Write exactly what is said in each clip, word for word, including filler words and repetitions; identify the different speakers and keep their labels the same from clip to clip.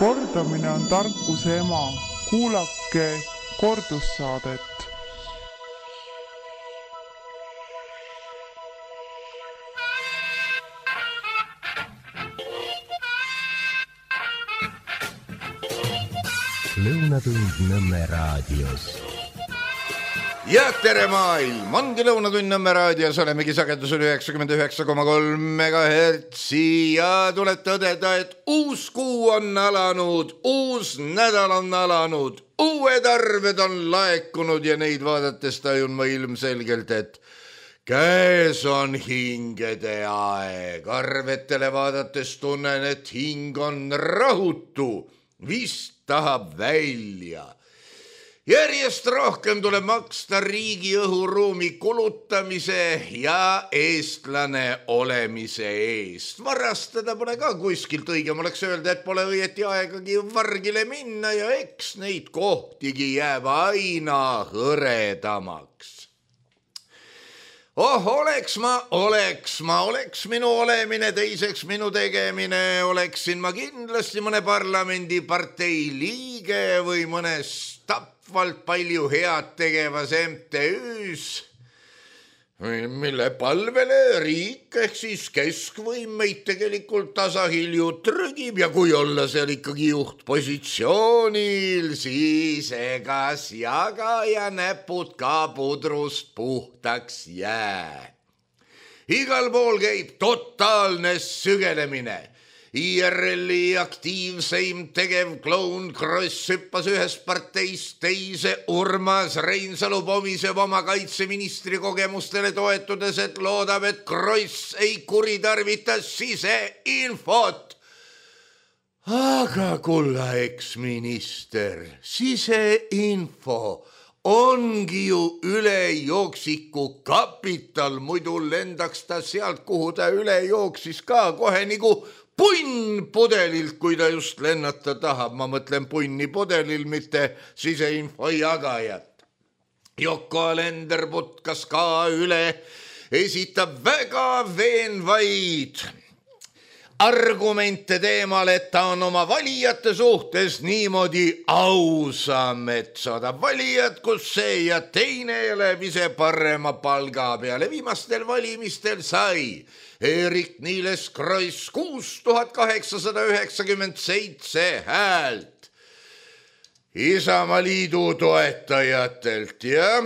Speaker 1: Kordamine on tarkuse ema. Kuulake kordussaadet.
Speaker 2: Lõunatund Nõmme raadios.
Speaker 3: Ja tere maailm, ongi Lõunatund Nõmme raadios, olemegi sagedusel üheksakümmend üheksa koma kolm megahertsi ja tuleb tõdeda, et uus kuu on alanud, uus nädal on alanud, uued arved on laekunud ja neid vaadates tajun ma ilmselgelt, et käes on hingede aeg. Arvetele vaadates tunnen, et hing on rahutu, vist tahab välja. Järjest rohkem tuleb maksta riigi õhuruumi kulutamise ja eestlane olemise eest. Varastada pole ka kuskilt, õigem oleks öelda, et pole õieti aegagi vargile minna ja eks neid kohtigi jääb aina hõredamaks. Oh, oleks ma, oleks ma, oleks minu olemine, teiseks minu tegemine, oleksin ma kindlasti mõne parlamendipartei liige või mõnes tapvalt palju head tegevas M T Üs, mille palvele riik ehk siis keskvõim meid tegelikult tasahilju trügib ja kui olla seal ikkagi juhtpositsioonil, siis egas jaga ja näpud ka pudrust puhtaks jää. Igal pool käib totaalne sügelemine. I R L-i aktiivseim tegev kloun Kross hüppas ühest parteist teise, Urmas Reinsalu pomiseb oma kaitseministri kogemustele toetudes, et loodab, et Kross ei kuritarvita siseinfot. Aga kulla eksminister, siseinfo ongi ju ülejooksiku kapital, muidu lendaks ta sealt, kuhu ta üle jooksis ka kohe nagu punn pudelilt, kui ta just lennata tahab. Ma mõtlen punni pudelil, mitte siseinfo jagajat. Yoko Alender putkas ka üle, esitab väga veenvaid argumente teemal, et ta on oma valijate suhtes niimoodi ausam, et saadab valijad, kus see ja teine eleb ise parema palga peale. Viimastel valimistel sai Eerik-Niiles Kross kuus tuhat kaheksasada üheksakümmend seitse häält Isamaaliidu toetajatelt ja,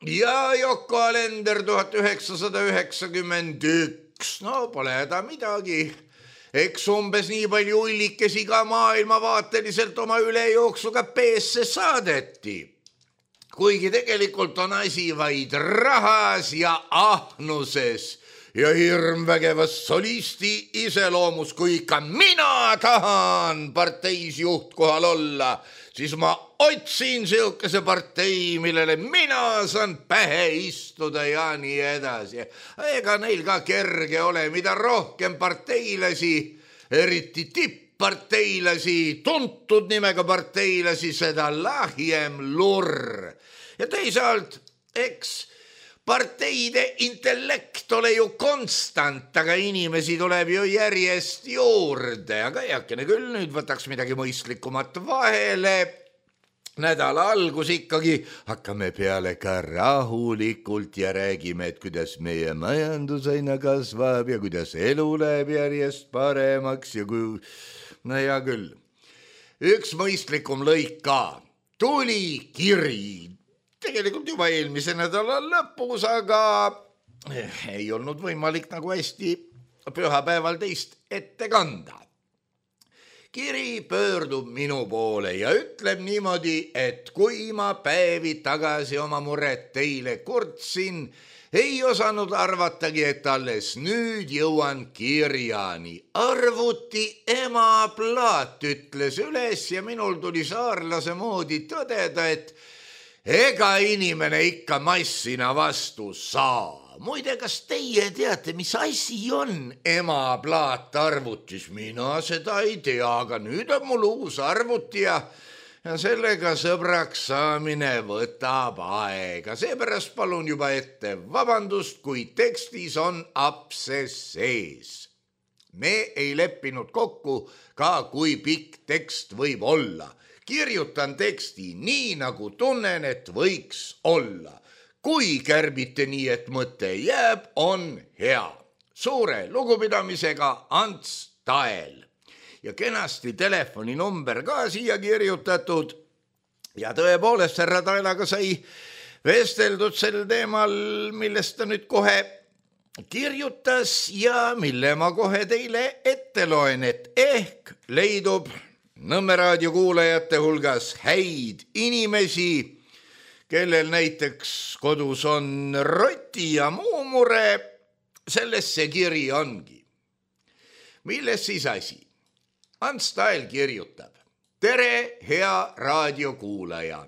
Speaker 3: ja Yoko Alender tuhat üheksasada üheksakümmend üks. No pole häda midagi. Eks umbes nii palju ullikesi ka maailmavaateliselt oma ülejooksuga peesse saadeti. Kuigi tegelikult on asi vaid rahas ja ahnuses ja hirmvägevas solisti iseloomus, kui ikka mina tahan parteis juhtkohal olla, siis ma otsin siukese partei, millele mina saan pähe istuda ja nii edasi. Ega neil ka kerge ole, mida rohkem parteilasi, eriti tippparteilasi, tuntud nimega parteilasi, seda lahjem lurr. Ja teisalt, eks parteide intellekt ole ju konstant, aga inimesi tuleb ju järjest juurde. Aga jakene küll, nüüd võtaks midagi mõistlikumat vahele. Nädala algus ikkagi hakkame peale ka rahulikult ja räägime, et kuidas meie majandus aina kasvab ja kuidas elu läheb järjest paremaks ja kui... No ja küll. Üks mõistlikum lõik ka. Tuli kiri. Tegelikult juba eelmise nädala lõpus, aga ei olnud võimalik nagu hästi pühapäeval teist ette kanda. Kiri pöördub minu poole ja ütleb niimoodi, et kui ma päevi tagasi oma muret teile kurtsin, ei osanud arvatagi, et alles nüüd jõuan kirjani. Arvuti ema plaat ütles üles ja minul tuli saarlase moodi tõdeda, et ega inimene ikka massina vastu saa. Muide, kas teie teate, mis asi on ema plaat arvutis? Mina seda ei tea, aga nüüd on mul uus arvuti ja, ja sellega sõbraks saamine võtab aega. Seepärast palun juba ette vabandust, kui tekstis on apses sees. Me ei leppinud kokku ka, kui pikk tekst võib olla. Kirjutan teksti nii, nagu tunnen, et võiks olla. Kui kärbite nii, et mõte jääb, on hea. Suure lugupidamisega Ants Tael. Ja kenasti telefoninumber ka siia kirjutatud. Ja tõepoolest, härra Taelaga sai vesteldud sel teemal, millest ta nüüd kohe kirjutas ja mille ma kohe teile ette loen, et ehk leidub Nõmme raadio kuulajate hulgas häid inimesi, kellel näiteks kodus on roti ja muu mure, selles see kiri ongi. Milles siis asi? Ants Tael kirjutab. Tere, hea raadiokuulaja.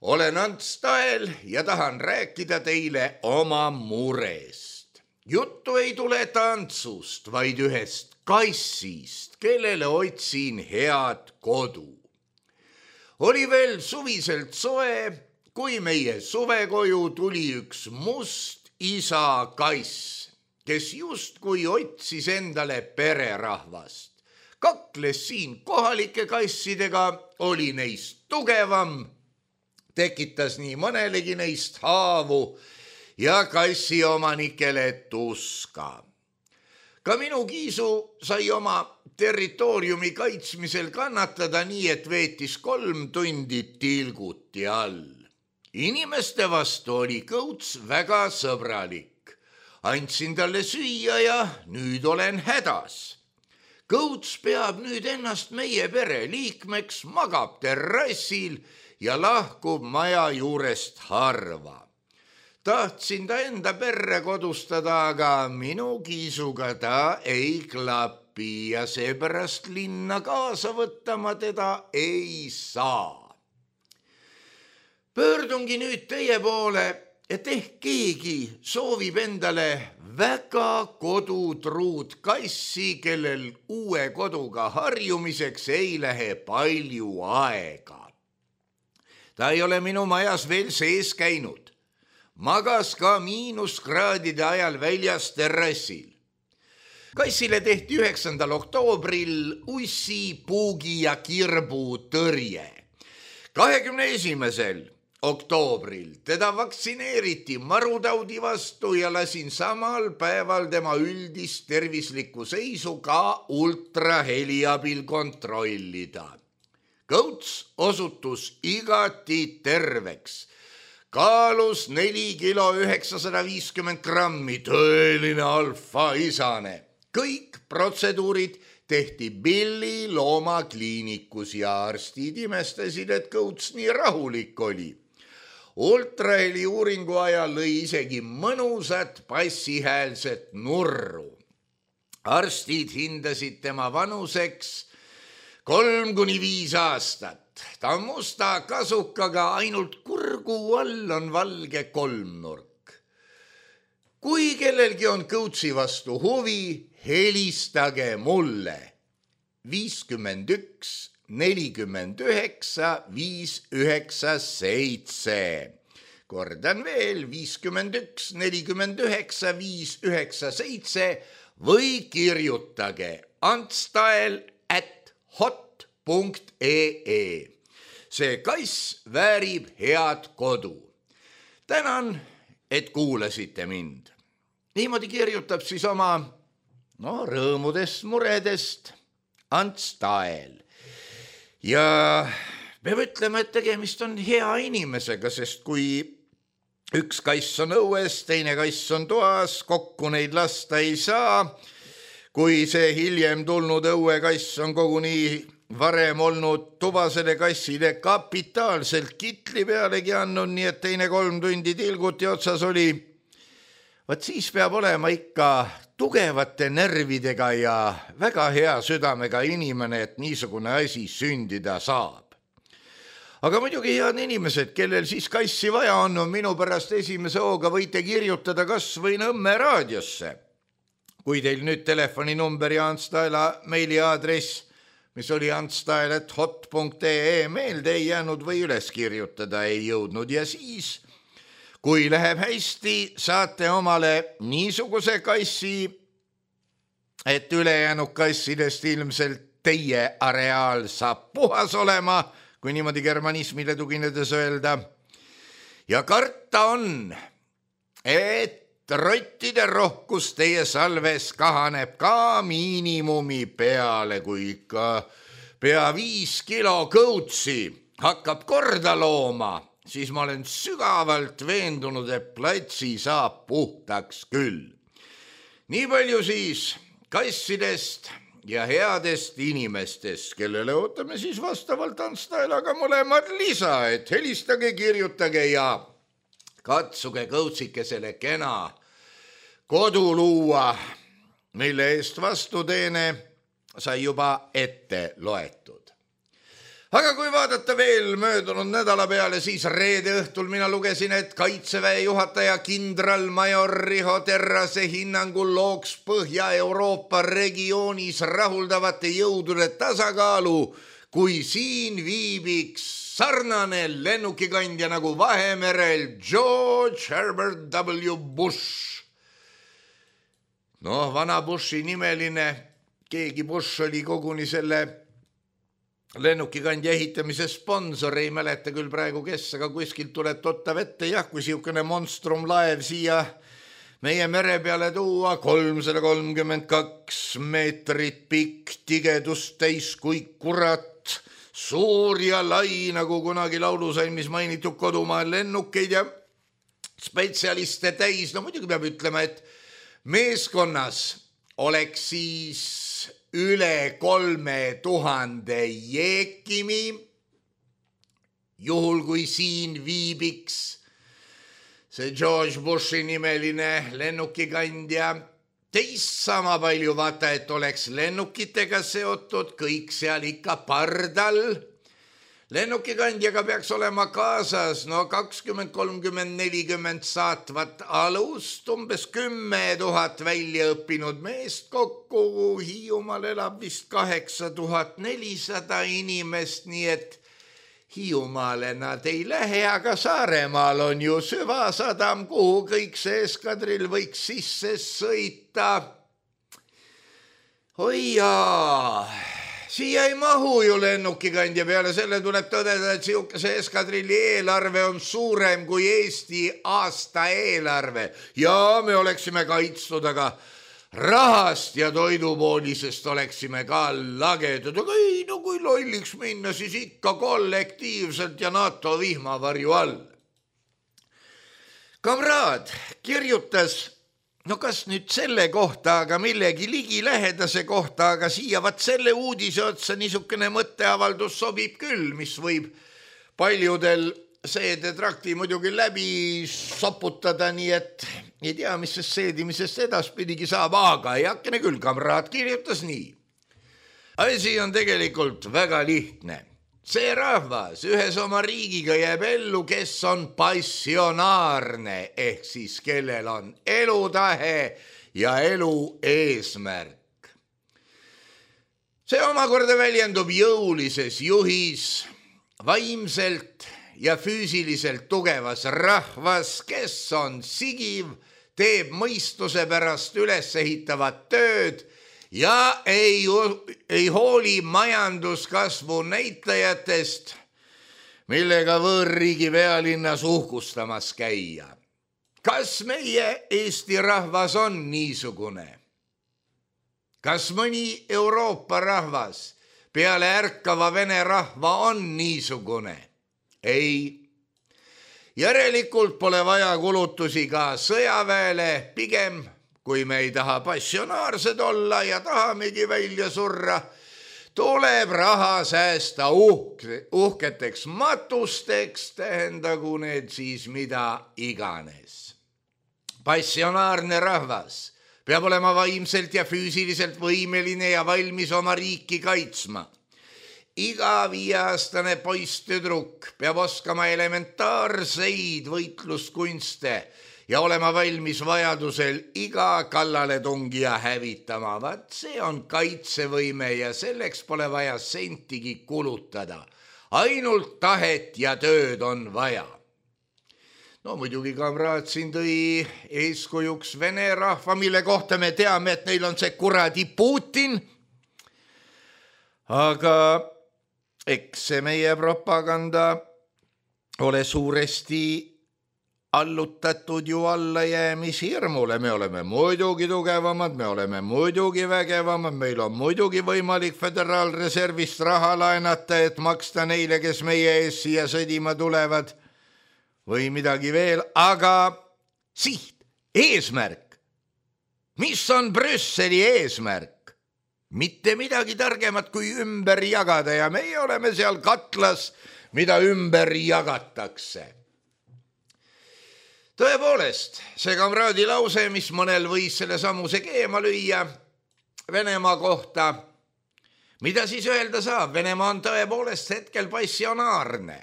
Speaker 3: Olen Ants Tael ja tahan rääkida teile oma murest. Juttu ei tule tantsust, vaid ühest kassist, kellele otsin head kodu. Oli veel suviselt soe, kui meie suvekoju tuli üks must isa kass, kes justkui otsis endale pererahvast. Kakles siin kohalike kassidega, oli neist tugevam, tekitas nii mõnelegi neist haavu ja kassi omanikele tuska. Ka minu kiisu sai oma territooriumi kaitsmisel kannatada nii, et veetis kolm tundi tilguti all. Inimeste vastu oli Kõuts väga sõbralik. Andsin talle süüa ja nüüd olen hädas. Kõuts peab nüüd ennast meie pere liikmeks, magab terrassil ja lahkub maja juurest harva. Tahtsin ta enda perre kodustada, aga minu kiisuga ta ei klapi ja seepärast linna kaasa võtta ma teda ei saa. Pöördungi nüüd teie poole, et ehk keegi soovib endale väga kodutruud kassi, kellel uue koduga harjumiseks ei lähe palju aega. Ta ei ole minu majas veel sees käinud. Magas ka miinuskraadide ajal väljas terrassil. Kassile tehti üheksandal oktoobril ussi, puugi ja kirbu tõrje. kahekümne esimesel oktoobril teda vaktsineeriti marutaudi vastu ja lasin samal päeval tema üldist tervislikku seisu ka ultraheli abil kontrollida. Kõuts osutus igati terveks. Kaalus neli kilo üheksasada viiskümmend grammi, tõeline alfa-isane. Kõik protseduurid tehti Billi loomakliinikus ja arstid imestasid, et Kõuts nii rahulik oli. Ultraheli uuringu ajal lõi isegi mõnusat passihäälset nurru. Arstid hindasid tema vanuseks kolm kuni viis aastat. Ta on musta kasukaga, ainult kurgu all on valge kolmnurk. Kui kellelgi on Kõutsi vastu huvi, helistage mulle. viiskümmend üks, nelikümmend üheksa, viis üheksa seitse. Kordan veel, viiskümmend üks, nelikümmend üheksa, viis üheksa seitse või kirjutage antstael at hot punkt ee. See kass väärib head kodu. Tänan, et kuulasite mind. Niimoodi kirjutab siis oma no, rõõmudest, muredest Ants Tael. Ja peab ütlema, et tegemist on hea inimesega, sest kui üks kass on õues, teine kass on toas, kokku neid lasta ei saa. Kui see hiljem tulnud õuekass on koguni varem olnud tubasele kassile kapitaalselt kitli pealegi andnud, nii et teine kolm tundi tilguti otsas oli. Vaat siis peab olema ikka tugevate närvidega ja väga hea südamega inimene, et niisugune asi sündida saab. Aga muidugi head inimesed, kellel siis kassi vaja on, on minu pärast esimese hooga võite kirjutada kas või Nõmme raadiosse. Kui teil nüüd telefoninumber ja Ants Taela meiliaadress, mis oli antstael at hot punkt ee meelde ei jäänud või üles kirjutada ei jõudnud ja siis, kui läheb hästi, saate omale niisuguse kassi, et ülejäänud kassidest ilmselt teie areaal saab puhas olema, kui niimoodi germanismile tuginedes öelda. Ja karta on, et rottide rohkus teie salves kahaneb ka miinimumi peale, kui ikka pea viis kilo kõutsi hakkab korda looma, siis ma olen sügavalt veendunud, et platsi saab puhtaks küll. Nii palju siis kassidest ja headest inimestest, kellele ootame siis vastavalt Ants Taelaga mõlemad lisa, et helistage, kirjutage ja katsuge kõutsikesele kena kodu luua, mille eest vastuteene sai juba ette loetud. Aga kui vaadata veel möödunud nädala peale, siis reede õhtul mina lugesin, et Kaitseväe juhataja kindralmajor Riho Terrase hinnangul looks Põhja-Euroopa regioonis rahuldavate jõudude tasakaalu, kui siin viibiks sarnane lennukikandja nagu Vahemerel George Herbert W. Bush. Noh, vana Bushi nimeline, keegi Bush oli koguni selle lennukikandja ehitamise sponsor, ei mäleta küll praegu kes, aga kuskilt tuleb tottav ette, jah, kui siukene monstrum laev siia meie mere peale tuua, kolmsada kolmkümmend kaks meetrit pikk, tigedust täis kui kurat, suur ja lai, nagu kunagi laulusalmis mainitud kodumaal lennukeid ja spetsialiste täis. No muidugi peab ütlema, et meeskonnas oleks siis üle kolme tuhande jeekimi, juhul kui siin viibiks see George Bushi nimeline lennukikandja, teist sama palju vaata, et oleks lennukitega seotud, kõik seal ikka pardal. Lennukikandjaga peaks olema kaasas no kakskümmend, kolmkümmend, nelikümmend saatvat alust, umbes kümme tuhat välja õppinud meest kokku, Hiiumaal elab vist kaheksa tuhat nelisada inimest, nii et Hiiumaale nad ei lähe, aga Saaremaal on ju süvasadam, kuhu kõik see eskadrill võiks sisse sõita. Oi jaa, siia ei mahu ju lennukikandja peale, selle tuleb tõdeda, et siukese eskadrilli eelarve on suurem kui Eesti aasta eelarve. Ja me oleksime kaitstud, aga rahast ja toidupoolisest oleksime ka lagedud. Aga ei, no kui lolliks minna, siis ikka kollektiivselt ja NATO vihmavarju all. Kamraad kirjutas, no kas nüüd selle kohta, aga millegi ligilähedase kohta, aga siia vaat selle uudise otsa niisugune mõtteavaldus sobib küll, mis võib paljudel seedetrakti muidugi läbi soputada, nii et ei tea, mis sest seedimisest edaspidigi saab, aga ei hakkene küll, kamraad kirjutas nii. Asi on tegelikult väga lihtne. See rahvas ühes oma riigiga jääb ellu, kes on passionaarne, ehk siis kellel on elutahe ja elu eesmärk. See omakorda väljendub jõulises juhis, vaimselt ja füüsiliselt tugevas rahvas, kes on sigiv, teeb mõistuse pärast üles ehitavat tööd ja ei, ei hooli majanduskasvu näitajatest, millega võõrriigi pealinnas uhkustamas käia. Kas meie Eesti rahvas on niisugune? Kas mõni Euroopa rahvas peale ärkava vene rahva on niisugune? Ei. Järelikult pole vaja kulutusi ka sõjaväele, pigem kui me ei taha passionaarsed olla ja tahamegi välja surra, tuleb raha säästa uhke, uhketeks matusteks, tähendagu need siis mida iganes. Passionaarne rahvas peab olema vaimselt ja füüsiliselt võimeline ja valmis oma riiki kaitsma. Iga viieaastane poisttüdruk peab oskama elementaarseid võitluskunste ja olema valmis vajadusel iga kallaletungija hävitama. Vaat see on kaitsevõime ja selleks pole vaja sentigi kulutada. Ainult tahet ja tööd on vaja. no muidugi kamraad siin tõi eeskujuks Vene rahva, mille kohta me teame, et neil on see kuradi Putin. Aga eks see meie propaganda ole suuresti allutatud ju allajäämishirmule. Me oleme muidugi tugevamad, me oleme muidugi vägevamad, meil on muidugi võimalik föderaalreservist raha laenata, et maksta neile, kes meie ees siia sõdima tulevad või midagi veel, aga siht, eesmärk. Mis on Brüsseli eesmärk? Mitte midagi targemat kui ümber jagada ja meie oleme seal katlas, mida ümber jagatakse. Tõepoolest, see kamraadi lause, mis mõnel võis selle samuse keema lüüa Venemaa kohta, mida siis öelda saab? Venemaa on tõepoolest hetkel passionaarne.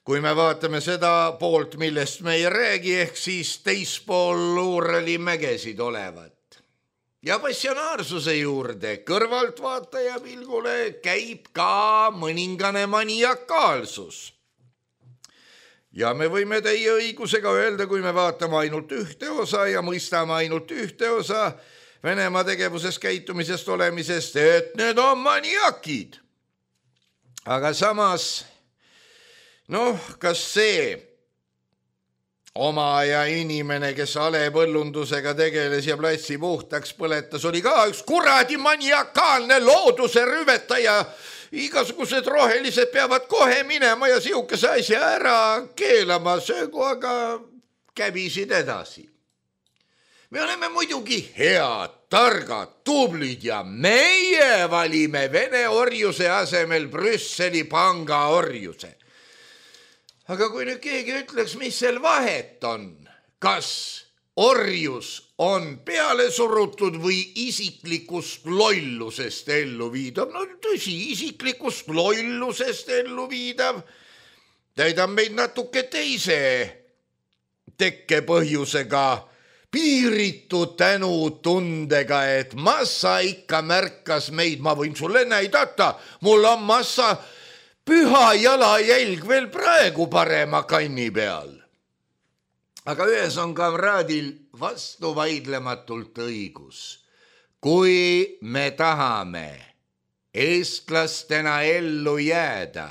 Speaker 3: Kui me vaatame seda poolt, millest me ei räägi, ehk siis teispool Uurali mägesid olevat. Ja passionaarsuse juurde kõrvaltvaataja pilgule käib ka mõningane maniakaalsus. Ja me võime teie õigusega öelda, kui me vaatame ainult ühte osa ja mõistame ainult ühte osa Venemaa tegevuses käitumisest olemisest, et need on maniakid. Aga samas, noh, kas see oma aja inimene, kes alepõllundusega tegeles ja platsi puhtaks põletas, oli ka üks kuradi maniakaalne looduse rüvetaja. Igasugused rohelised peavad kohe minema ja sihukese asja ära keelama, söögu aga käbisid edasi. Me oleme muidugi head, targad, tublid ja meie valime Vene orjuse asemel Brüsseli panga orjuse. Aga kui nüüd keegi ütleks, mis seal vahet on, kas orjus on peale surutud või isiklikust lollusest ellu viidav, no tõsi, isiklikust lollusest ellu viidav, täidab meid natuke teise tekkepõhjusega, piiritu tänutundega, et massa ikka märkas meid, ma võin sulle näidata, mul on massa püha jalajälg veel praegu parema kanni peal. Aga ühes on kamraadil vastuvaidlematult õigus. Kui me tahame eestlastena ellu jääda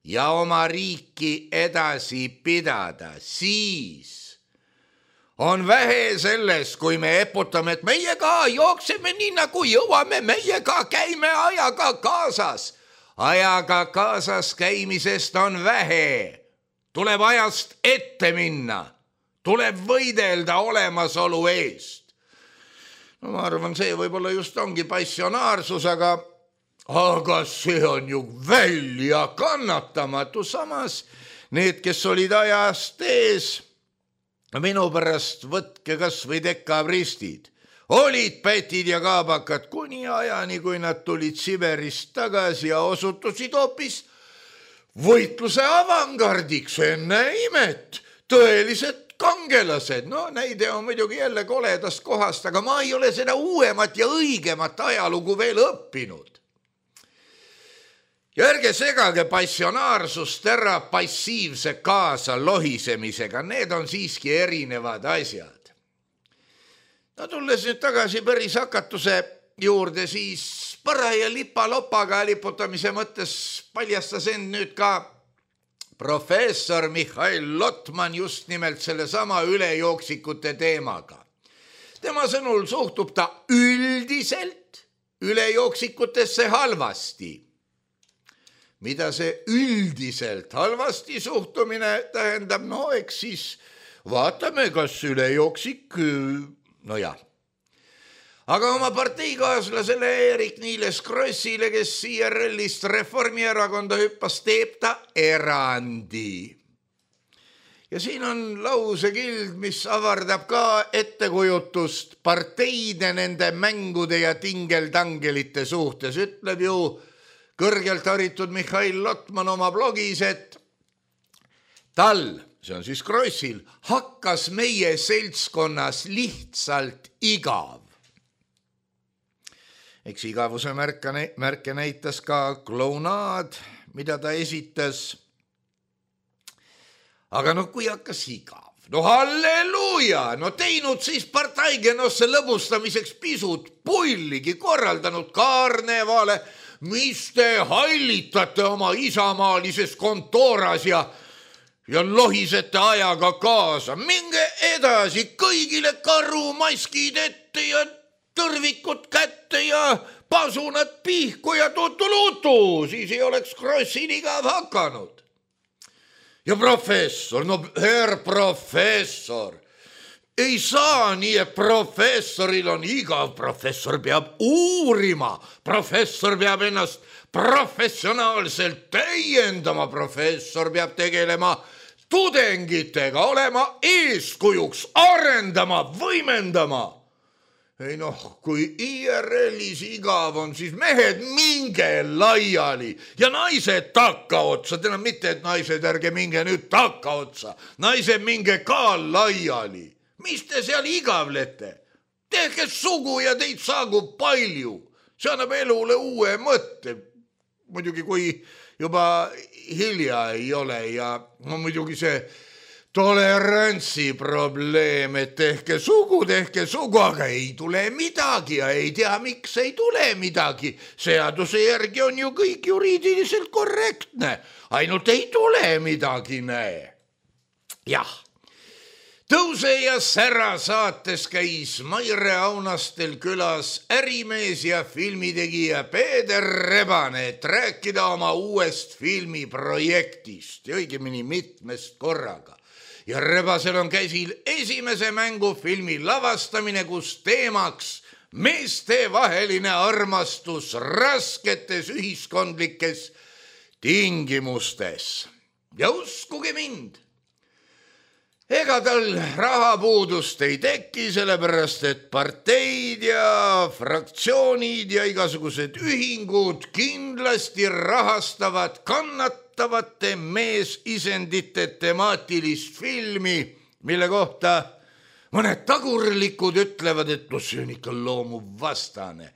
Speaker 3: ja oma riiki edasi pidada, siis on vähe sellest, kui me eputame, et meie ka jookseme nii nagu jõuame, meie ka käime ajaga kaasas. Ajaga kaasas käimisest on vähe. Tuleb ajast ette minna. Tuleb võidelda olemasolu eest. No ma arvan, see võib-olla just ongi passionaarsus, aga, aga see on ju välja kannatamatu. Samas need, kes olid ajast ees, minu pärast võtke kas või dekabristid, olid pätid ja kaabakad kuni ajani, kui nad tulid Siberist tagasi ja osutusid hoopis võitluse avangardiks, enne imet, tõelised kangelased. No näide on muidugi jälle koledast kohast, aga ma ei ole seda uuemat ja õigemat ajalugu veel õppinud. Ja ärge segage passionaarsust ära passiivse kaasa lohisemisega, need on siiski erinevad asjad. No tulles nüüd tagasi päris hakatuse juurde, siis paraja lipa-lopaga liputamise mõttes paljastas end nüüd ka professor Mihhail Lotman just nimelt selle sama ülejooksikute teemaga. Tema sõnul suhtub ta üldiselt ülejooksikutesse halvasti. Mida see üldiselt halvasti suhtumine tähendab? No eks siis vaatame, kas ülejooksik, no jah. Aga oma parteikaaslasele Eerik-Niiles Krossile, kes I R L-ist Reformierakonda hüppas, teeb ta erandi. Ja siin on lausekild, mis avardab ka ettekujutust parteide nende mängude ja tingeltangelite suhtes. Ütleb ju kõrgelt haritud Mihhail Lotman oma blogis, et tal, see on siis Krossil, hakkas meie seltskonnas lihtsalt igav. Eks igavuse märke näitas ka klounaad, mida ta esitas. aga no kui hakkas igav, no halleluuja, no teinud siis partaigenosse lõbustamiseks pisut pulligi, korraldanud karnevale, mis te hallitate oma isamaalises kontooras ja ja lohisete ajaga kaasa. Minge edasi, kõigile karumaskid ette ja tõrvikud kätte ja pasunad pihku ja tutulutu, siis ei oleks Krossil igav hakanud. Ja professor, no herr professor, ei saa nii, et professoril on igav, professor peab uurima, professor peab ennast professionaalselt täiendama, professor peab tegelema tudengitega, olema eeskujuks, arendama, võimendama. Ei noh, kui I R L-is igav on, siis mehed minge laiali ja naised takka otsa, täna mitte, et naised ärge minge nüüd takka otsa, naised minge ka laiali. Mis te seal igavlete? Tehke sugu ja teid saagub palju. See annab elule uue mõtte. Muidugi kui juba hilja ei ole ja no muidugi see tolerantsi probleem, et tehke sugu, tehke sugu, aga ei tule midagi ja ei tea, miks ei tule midagi. Seaduse järgi on ju kõik juriidiliselt korrektne, ainult ei tule midagi, näe. Jah. Tõuse ja Sära saates käis Maire Aunastel külas ärimees ja filmitegija Peeder Rebane, et rääkida oma uuest filmiprojektist ja õigemini mitmest korraga. Ja Rebasel on käsil esimese mängufilmi lavastamine, kus teemaks meestevaheline armastus rasketes ühiskondlikes tingimustes. Ja uskuge mind, ega tal rahapuudust ei teki, sellepärast et parteid ja fraktsioonid ja igasugused ühingud kindlasti rahastavad kannatavate meesisendite temaatilist filmi, mille kohta mõned tagurlikud ütlevad, et no see on ikka loomuvastane.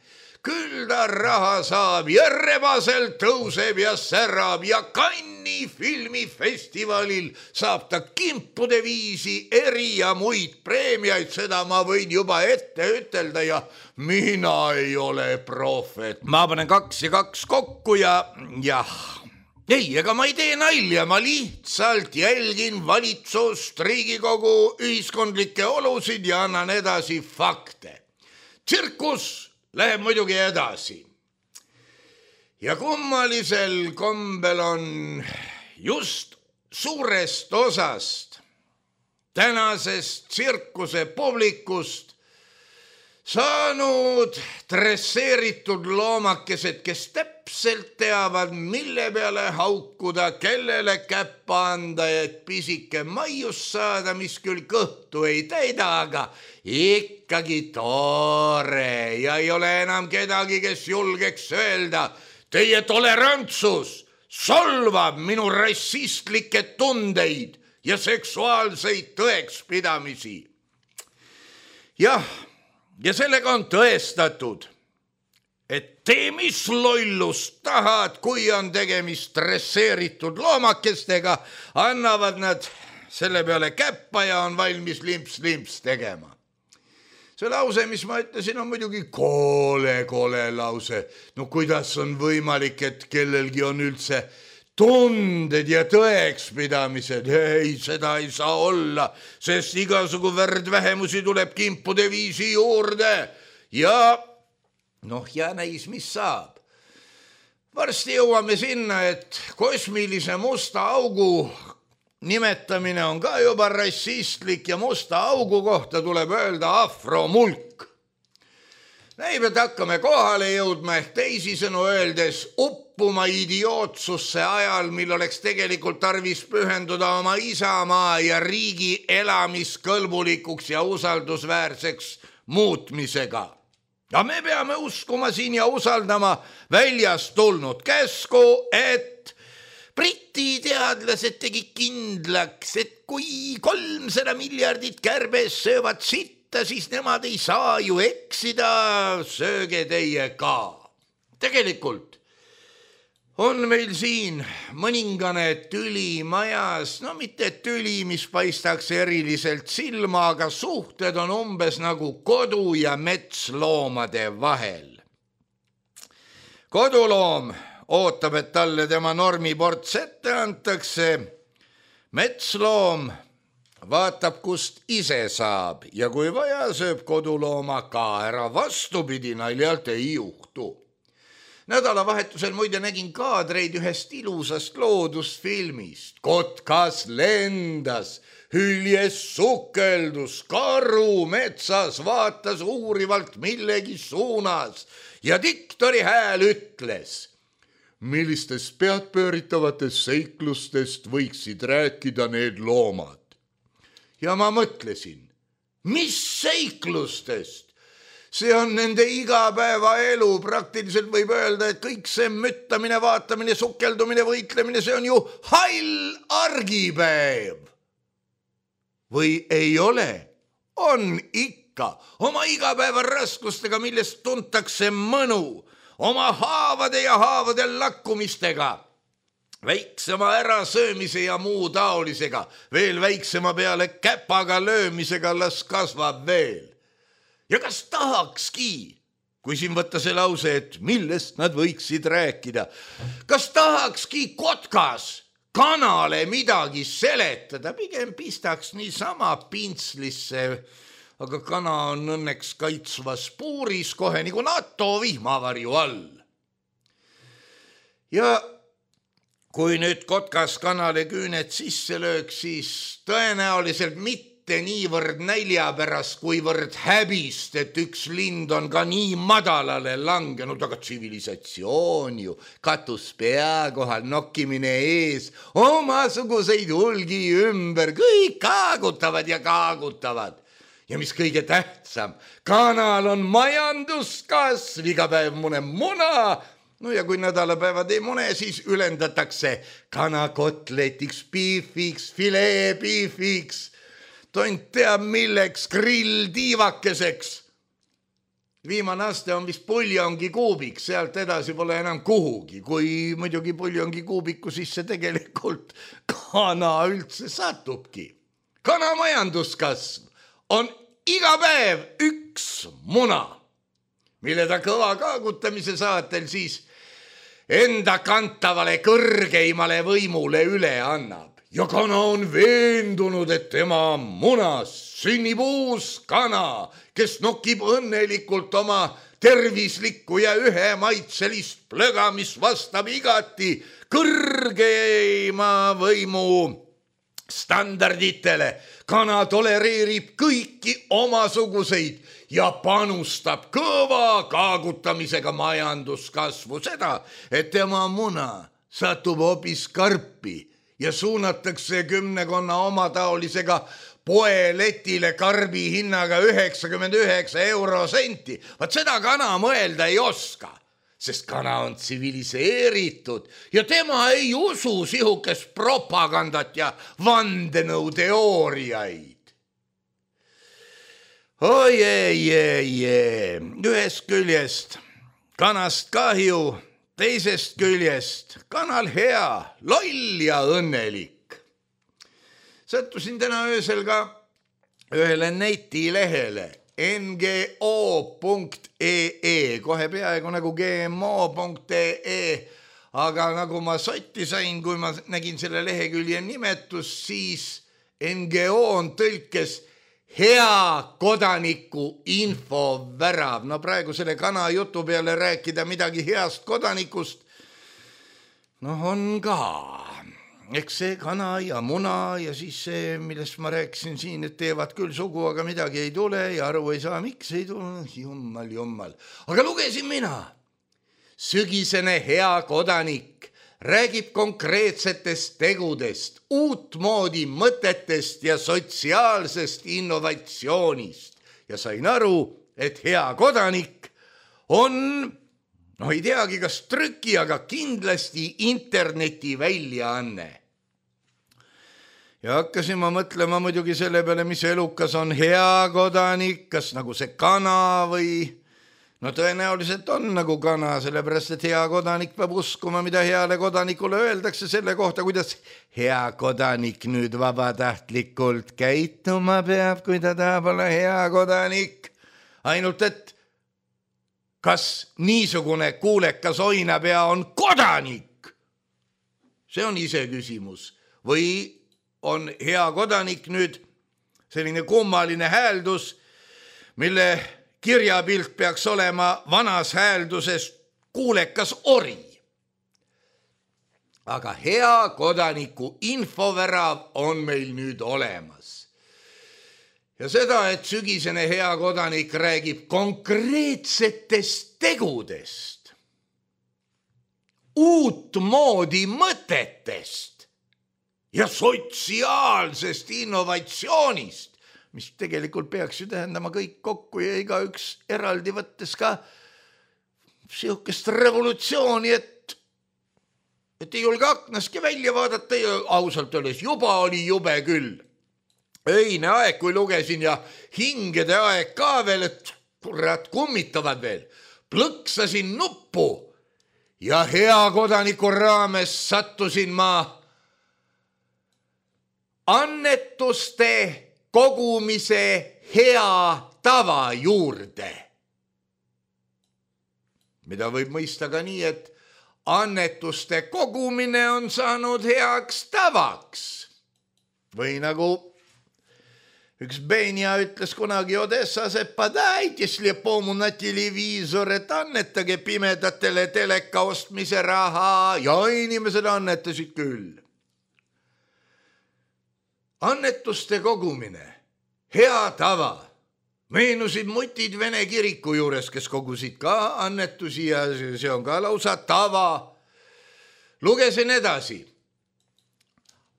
Speaker 3: Küll ta raha saab ja Rebasel tõuseb ja särab ja Cannes'i filmifestivalil saab ta kimpude viisi eri ja muid preemiaid, seda ma võin juba ette ütelda ja mina ei ole prohvet. Ma panen kaks ja kaks kokku ja jah, ei, ega ma ei tee nalja, ma lihtsalt jälgin valitsust, Riigikogu ühiskondlikke olusid ja annan edasi fakte. Tsirkus läheb muidugi edasi. Ja kummalisel kombel on just suurest osast tänasest tsirkuse publikust saanud dresseeritud loomakesed, kes täpselt teavad, mille peale haukuda, kellele käppa anda, et pisike maius saada, mis küll kõhtu ei täida, aga ikkagi tore ja ei ole enam kedagi, kes julgeks öelda, teie tolerantsus solvab minu rassistlikke tundeid ja seksuaalseid tõekspidamisi. Jah, ja sellega on tõestatud, et tee mis lollust tahad, kui on tegemist dresseeritud loomakestega, annavad nad selle peale käppa ja on valmis limps-limps tegema. See lause, mis ma ütlesin, on muidugi koole-koole lause. No kuidas on võimalik, et kellelgi on üldse tunded ja tõekspidamised? Ei, seda ei saa olla, sest igasugu värdvähemusi tuleb kimpude viisi juurde. Ja noh, ja näis, mis saab. Varsti jõuame sinna, et kosmilise musta augu nimetamine on ka juba rassistlik ja musta augu kohta tuleb öelda afromulk. Näib, et hakkame kohale jõudma ehk teisisõnu öeldes uppuma idiootsusse ajal, mil oleks tegelikult tarvis pühenduda oma isamaa ja riigi elamiskõlbulikuks ja usaldusväärseks muutmisega. Ja me peame uskuma siin ja usaldama väljast tulnud käsku, et Briti teadlased tegi kindlaks, et kui kolmsada miljardit kärbes söövad sitta, siis nemad ei saa ju eksida, sööge teie ka. Tegelikult on meil siin mõningane tüli majas, no mitte tüli, mis paistaks eriliselt silma, aga suhted on umbes nagu kodu- ja metsloomade vahel. Koduloom ootab, et talle tema normiports ette antakse. Metsloom vaatab, kust ise saab ja kui vaja, sööb kodulooma ka ära, vastupidi naljalt ei juhtu. Nädalavahetusel muide nägin kaadreid ühest ilusast loodusfilmist. Kotkas lendas, hüljes sukeldus, karu metsas vaatas uurivalt millegi suunas ja diktori hääl ütles: millistest peadpööritavatest seiklustest võiksid rääkida need loomad? Ja ma mõtlesin, mis seiklustest? See on nende igapäevaelu, praktiliselt võib öelda, et kõik see müttamine, vaatamine, sukeldumine, võitlemine, see on ju hall argipäev. Või ei ole? On ikka. Oma igapäeva raskustega, millest tuntakse mõnu, oma haavade ja haavade lakkumistega, väiksema ärasöömise ja muu taolisega, veel väiksema peale käpaga löömisega las kasvab veel. Ja kas tahakski, kui siin võtta see lause, et millest nad võiksid rääkida, kas tahakski kotkas kanale midagi seletada, pigem pistaks niisama pintslisse, aga kana on õnneks kaitsvas puuris kohe nagu NATO vihmavarju all. Ja kui nüüd kotkas kanale küüned sisse lööks, siis tõenäoliselt mitte niivõrd nälja pärast, kuivõrd häbist, et üks lind on ka nii madalale langenud, aga tsivilisatsioon ju, katus pea kohal, nokkimine ees, omasuguseid hulgi ümber, kõik kaagutavad ja kaagutavad. Ja mis kõige tähtsam, kanal on majanduskasv, iga päev mune muna, no ja kui nädalapäevad ei mune, siis ülendatakse kanakotletiks, piifiks, filee piifiks, tont teab milleks, grill tiivakeseks. Viimane aste on vist puljongi kuubik, sealt edasi pole enam kuhugi, kui muidugi puljongi kuubiku sisse tegelikult kana üldse satubki. Kana majanduskasv on iga päev üks muna, mille ta kõva kaagutamise saatel siis enda kantavale kõrgeimale võimule üle annab. Ja kana on veendunud, et tema munas sünnib uus kana, kes nokib õnnelikult oma tervislikku ja ühe maitselist plöga, mis vastab igati kõrgeima võimu standarditele. Kana tolereerib kõiki omasuguseid ja panustab kõva kaagutamisega majanduskasvu, seda, et tema muna satub hoopis karpi ja suunatakse kümnekonna omataolisega poeletile karbi hinnaga üheksakümmend üheksa eurosenti. Vaat seda kana mõelda ei oska, sest kana on tsiviliseeritud ja tema ei usu sihukest propagandat ja vandenõuteooriaid. Oi, ei, ei, ei, ühest küljest kanast kahju, teisest küljest kanal hea, loll ja õnnelik. Sattusin täna öösel ka ühele netilehele N G O punkt E E, kohe peaaegu nagu G M O punkt E E, aga nagu ma sotti sain, kui ma nägin selle lehekülje nimetus, siis N G O on tõlkes hea kodaniku infovärav. No praegu selle kana jutu peale rääkida midagi heast kodanikust, no on ka. Eks see kana ja muna ja siis see, millest ma rääkisin siin, et teevad küll sugu, aga midagi ei tule ja aru ei saa, miks ei tule, jummal, jummal. Aga lugesin mina. Sügisene hea kodanik räägib konkreetsetest tegudest, uutmoodi mõtetest ja sotsiaalsest innovatsioonist. Ja sain aru, et hea kodanik on, no ei teagi, kas trüki, aga kindlasti interneti väljaanne. Ja hakkasin ma mõtlema muidugi selle peale, mis elukas on hea kodanik, kas nagu see kana või no tõenäoliselt on nagu kana, sellepärast, et hea kodanik peab uskuma, mida heale kodanikule öeldakse selle kohta, kuidas hea kodanik nüüd vabatahtlikult käituma peab, kui ta tahab olla hea kodanik. Ainult, et kas niisugune kuulekas oinapea on kodanik? See on ise küsimus. Või on hea kodanik nüüd selline kummaline hääldus, mille kirjapilt peaks olema vanas häälduses kuulekas ori. Aga hea kodaniku infovärav on meil nüüd olemas. Ja seda, et sügisene hea kodanik räägib konkreetsetest tegudest, uutmoodi mõtetest ja sotsiaalsest innovatsioonist, mis tegelikult peaks ju tähendama kõik kokku ja igaüks eraldi võttes ka sihukest revolutsiooni, et, et ei julge aknaski välja vaadata ja ausalt öeldes juba oli jube küll. Öine aeg, kui lugesin ja hingede aeg ka veel, et kurat kummitavad veel. Plõksasin nuppu ja hea kodaniku raames sattusin ma annetuste kogumise hea tava juurde, mida võib mõista ka nii, et annetuste kogumine on saanud heaks tavaks. Või nagu üks Benja ütles kunagi Odessas, et padajte slepому na televiisor, et annetage pimedatele teleka ostmise raha ja inimesed annetasid küll. Annetuste kogumine, hea tava. Meenusid mutid Vene kiriku juures, kes kogusid ka annetusi ja see on ka lausa tava. Lugesin edasi.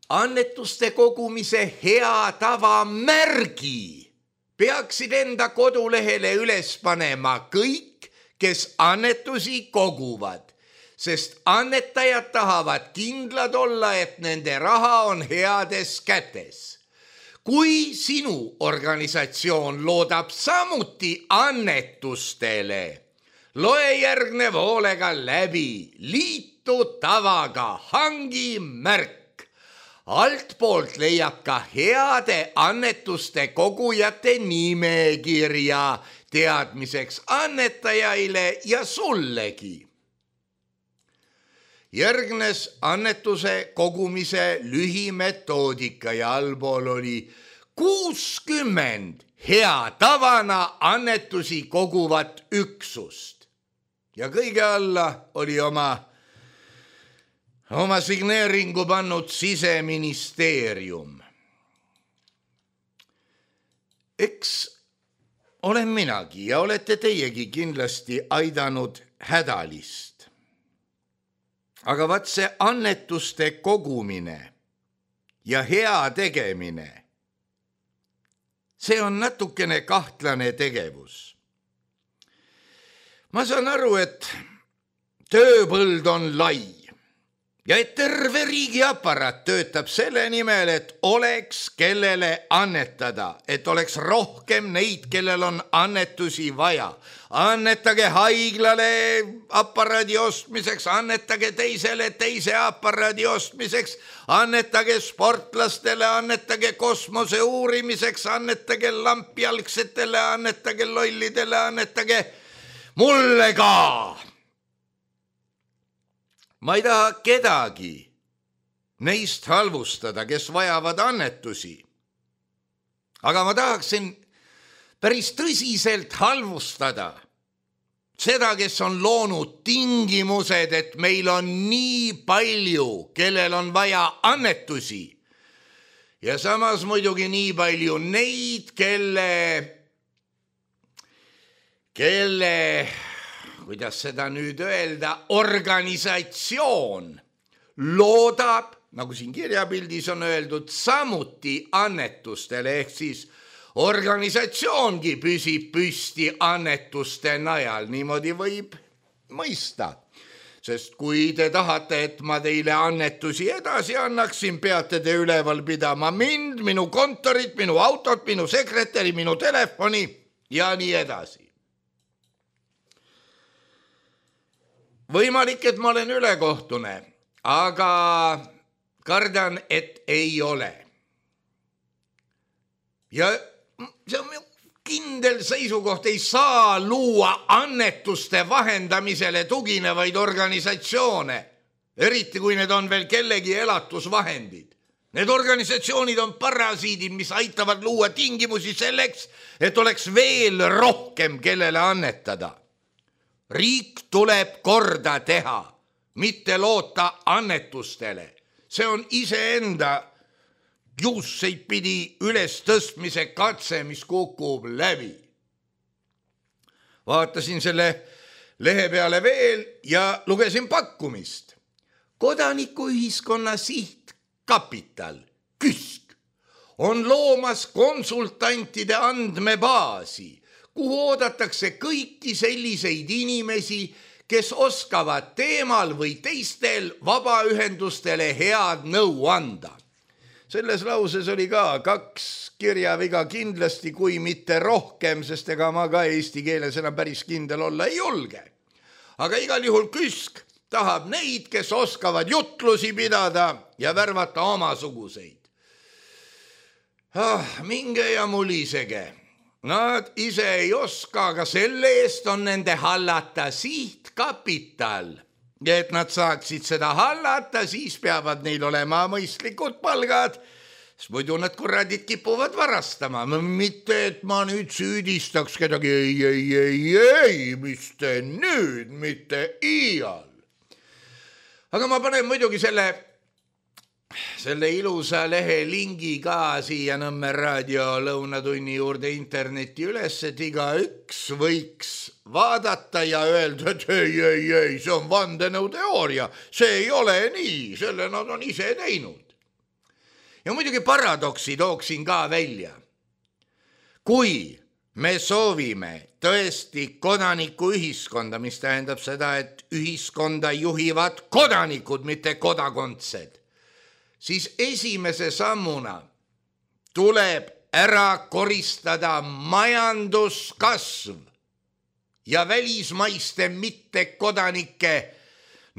Speaker 3: Annetuste kogumise hea tava märgi peaksid enda kodulehele üles panema kõik, kes annetusi koguvad. Sest annetajad tahavad kindlad olla, et nende raha on heades kätes. Kui sinu organisatsioon loodab samuti annetustele, loe järgnev hoolega läbi, liitu tavaga, hangi märk. Altpoolt leiab ka heade annetuste kogujate nimekirja teadmiseks annetajaile ja sullegi. Järgnes annetuse kogumise lühimetoodika ja allpool oli kuuskümmend hea tavana annetusi koguvat üksust. Ja kõige alla oli oma, oma signeeringu pannud Siseministeerium. Eks olen minagi ja olete teiegi kindlasti aidanud hädalist. Aga vaat see annetuste kogumine ja hea tegemine, see on natukene kahtlane tegevus. Ma saan aru, et tööpõld on lai ja et terve riigi aparaat töötab selle nimel, et oleks kellele annetada, et oleks rohkem neid, kellel on annetusi vaja. Annetage haiglale aparaadi ostmiseks, annetage teisele teise aparaadi ostmiseks, annetage sportlastele, annetage kosmose uurimiseks, annetage lampjalgsetele, annetage lollidele, annetage mulle ka. Ma ei taha kedagi neist halvustada, kes vajavad annetusi. Aga ma tahaksin päris tõsiselt halvustada seda, kes on loonud tingimused, et meil on nii palju, kellel on vaja annetusi. Ja samas muidugi nii palju neid, kelle, kelle, kuidas seda nüüd öelda, organisatsioon loodab, nagu siin kirjapildis on öeldud, samuti annetustele, ehk siis organisatsioongi püsib püsti annetuste najal, niimoodi võib mõista. Sest kui te tahate, et ma teile annetusi edasi annaksin, peate te üleval pidama mind, minu kontorit, minu autot, minu sekretäri, minu telefoni ja nii edasi. võimalik, et ma olen ülekohtune, aga kardan, et ei ole. Ja see on kindel seisukoht, ei saa luua annetuste vahendamisele tuginevaid organisatsioone, eriti kui need on veel kellegi elatusvahendid. Need organisatsioonid on parasiidid, mis aitavad luua tingimusi selleks, et oleks veel rohkem kellele annetada. Riik tuleb korda teha, mitte loota annetustele. See on iseenda juusseid pidi üles tõstmise katse, mis kukub läbi. Vaatasin selle lehe peale veel ja lugesin pakkumist. Kodanikuühiskonna sihtkapital, KÜSK, on loomas konsultantide andmebaasi, kuhu oodatakse kõiki selliseid inimesi, kes oskavad teemal või teistel vabaühendustele head nõu anda. Selles lauses oli ka kaks kirjaviga kindlasti, kui mitte rohkem, sest ega ma ka eesti keeles enam päris kindel olla ei julge. Aga igal juhul KÜSK tahab neid, kes oskavad jutlusi pidada ja värvata omasuguseid. Ah, minge ja mulisege. Nad ise ei oska, aga selle eest on nende hallata sihtkapital. Ja et nad saaksid seda hallata, siis peavad neil olema mõistlikud palgad, sest muidu nad kuradid kipuvad varastama. Mitte, et ma nüüd süüdistaks kedagi, ei, ei, ei, ei, mis te nüüd, mitte iial. Aga ma panen muidugi selle selle ilusa lehe lingi ka siia Nõmme raadio lõunatunni juurde interneti üles, et iga üks võiks vaadata ja öelda, et ei, ei, ei, see on vandenõuteooria, see ei ole nii, selle nad on ise teinud. Ja muidugi paradoksi tooksin ka välja. Kui me soovime tõesti kodanikuühiskonda, mis tähendab seda, et ühiskonda juhivad kodanikud, mitte kodakondsed, siis esimese sammuna tuleb ära koristada majanduskasv ja välismaiste mittekodanike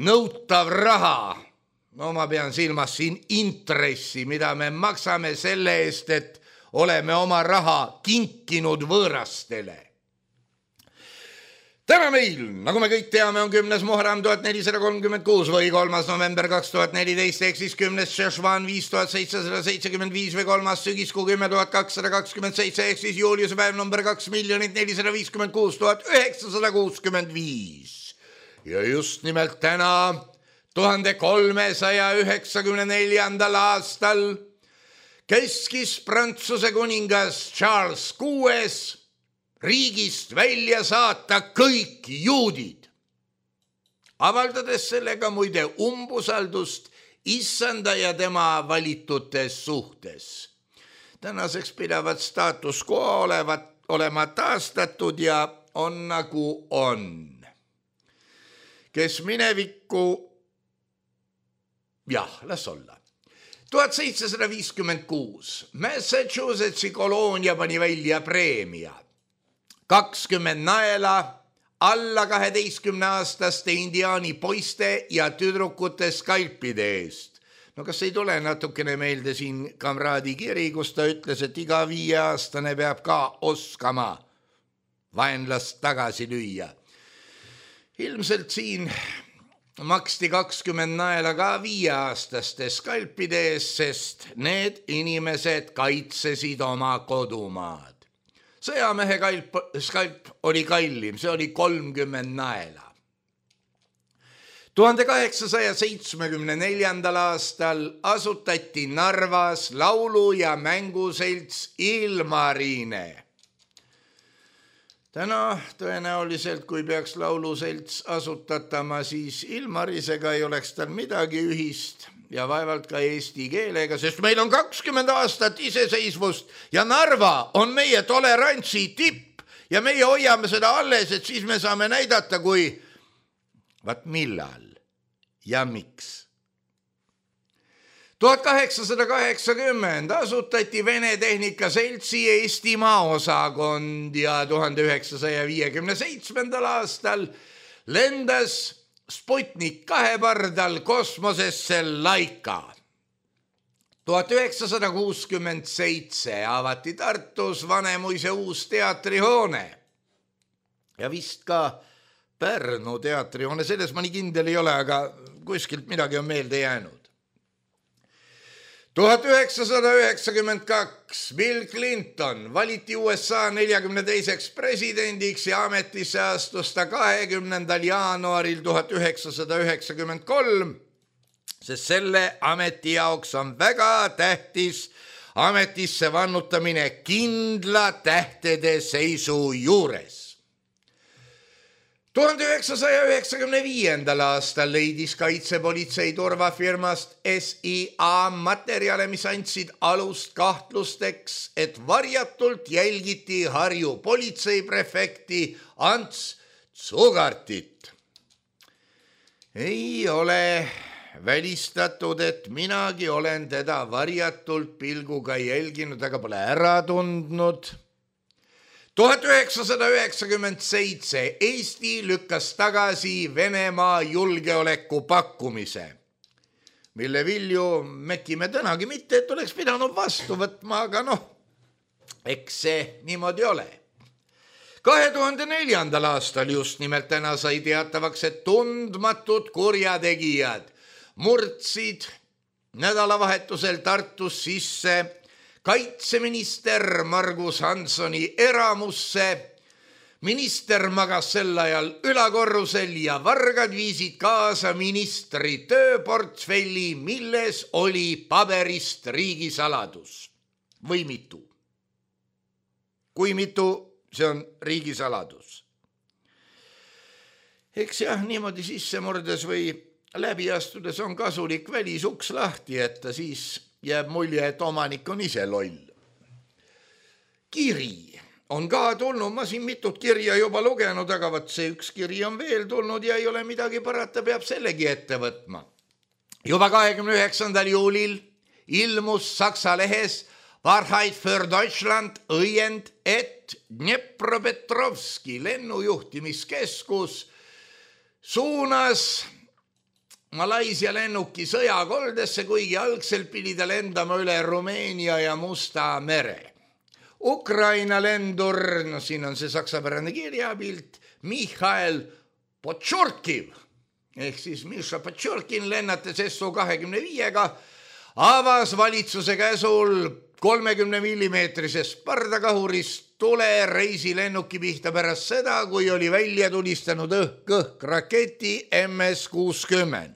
Speaker 3: nõutav raha. No ma pean silmas siin intressi, mida me maksame selle eest, et oleme oma raha kinkinud võõrastele. Täna meil, nagu me kõik teame, on kümnes Muharram tuhat nelisada kolmkümmend kuus või kolmas november kaks tuhat neliteist, ehk siis kümnes Šešvan viis tuhat seitsesada seitsekümmend viis või kolmas sügiskuu kümme tuhat kakssada kakskümmend seitse, ehk siis juuliuse päev number kaks miljonit nelisada viiskümmend kuus tuhat üheksasada kuuskümmend viis. Ja just nimelt täna, tuhande kolmesaja üheksakümne neljandal aastal, keskis Prantsuse kuningas Charles kuues riigist välja saata kõik juudid, avaldades sellega muide umbusaldust issanda ja tema valitute suhtes. Tänaseks pidavat staatus quo olevat, olema taastatud ja on nagu on. Kes minevikku, jah, las olla. tuhat seitsesada viiskümmend kuus Massachusettsi koloonia pani välja preemia. kakskümmend naela alla kaheteistkümne aastaste indiaani poiste ja tüdrukute skalpide eest. No kas ei tule natukene meelde siin kamraadi kiri, kus ta ütles, et iga viieaastane peab ka oskama vaenlast tagasi lüüa. Ilmselt siin maksti kakskümmend naela ka viieaastaste skalpide eest, sest need inimesed kaitsesid oma kodumaad. Sõjamehe kalp, skalp oli kallim, see oli kolmkümmend naela. tuhande kaheksasaja seitsmekümne neljandal aastal asutati Narvas laulu- ja mänguselts Ilmarine. Täna tõenäoliselt, kui peaks lauluselts asutatama, siis Ilmarisega ei oleks tal midagi ühist ja vaevalt ka eesti keelega, sest meil on kakskümmend aastat iseseisvust ja Narva on meie tolerantsi tipp ja meie hoiame seda alles, et siis me saame näidata, kui vaat millal ja miks. tuhat kaheksasada kaheksakümmend asutati Vene Tehnikaseltsi Eestimaa osakond ja tuhande üheksasaja viiekümne seitsmendal aastal lendas Sputnik kahe pardal kosmosesse Laika. tuhat üheksasada kuuskümmend seitse avati Tartus Vanemuise uus teatrihoone ja vist ka Pärnu teatrihoone, selles ma nii kindel ei ole, aga kuskilt midagi on meelde jäänud. tuhat üheksasada üheksakümmend kaks Bill Clinton valiti U S A neljakümne teiseks presidendiks ja ametisse astus ta kahekümnendal jaanuaril tuhat üheksasada üheksakümmend kolm, sest selle ameti jaoks on väga tähtis ametisse vannutamine kindla tähtede seisu juures. tuhande üheksasaja üheksakümne viiendal aastal leidis kaitsepolitsei turvafirmast S I A materjale, mis andsid alust kahtlusteks, et varjatult jälgiti Harju politseiprefekti Ants Tsugartit. Ei ole välistatud, et minagi olen teda varjatult pilguga jälginud, aga pole ära tundnud. tuhat üheksasada üheksakümmend seitse Eesti lükkas tagasi Venemaa julgeoleku pakkumise, mille vilju mekime tänagi mitte, et oleks pidanud vastu võtma, aga noh, eks see niimoodi ole. kahe tuhande neljandal aastal just nimelt täna sai teatavaks, et tundmatud kurjategijad murdsid nädalavahetusel Tartus sisse kaitseminister Margus Hanssoni eramusse. Minister magas sel ajal ülakorrusel ja vargad viisid kaasa ministri tööportfelli, milles oli paberist riigisaladus. Või mitu? Kui mitu, see on riigisaladus. Eks jah, niimoodi sisse murdes või läbi astudes on kasulik välisuks lahti jätta, siis jääb mulje, et omanik on ise loll. Kiri on ka tulnud, ma siin mitut kirja juba lugenud, aga võt see üks kiri on veel tulnud ja ei ole midagi parata, peab sellegi ette võtma. Juba kahekümne üheksandal juulil ilmus Saksa lehes Wahrheit für Deutschland õiend, et Dnepropetrovski lennujuhtimiskeskus suunas Malaisia lennuki sõjakoldesse, kuigi algselt pidi ta lendama üle Rumeenia ja Musta mere. Ukraina lendur, no siin on see saksapärane kirjapilt, Mihhail Potšorkiv, ehk siis Miša Potšorkin lennates S O kahekümne viiega, avas valitsuse käsul kolmekümne millimeetrisest pardakahurist tule reisilennuki pihta pärast seda, kui oli välja tulistanud õhk-õhk raketi M S kuuskümmend.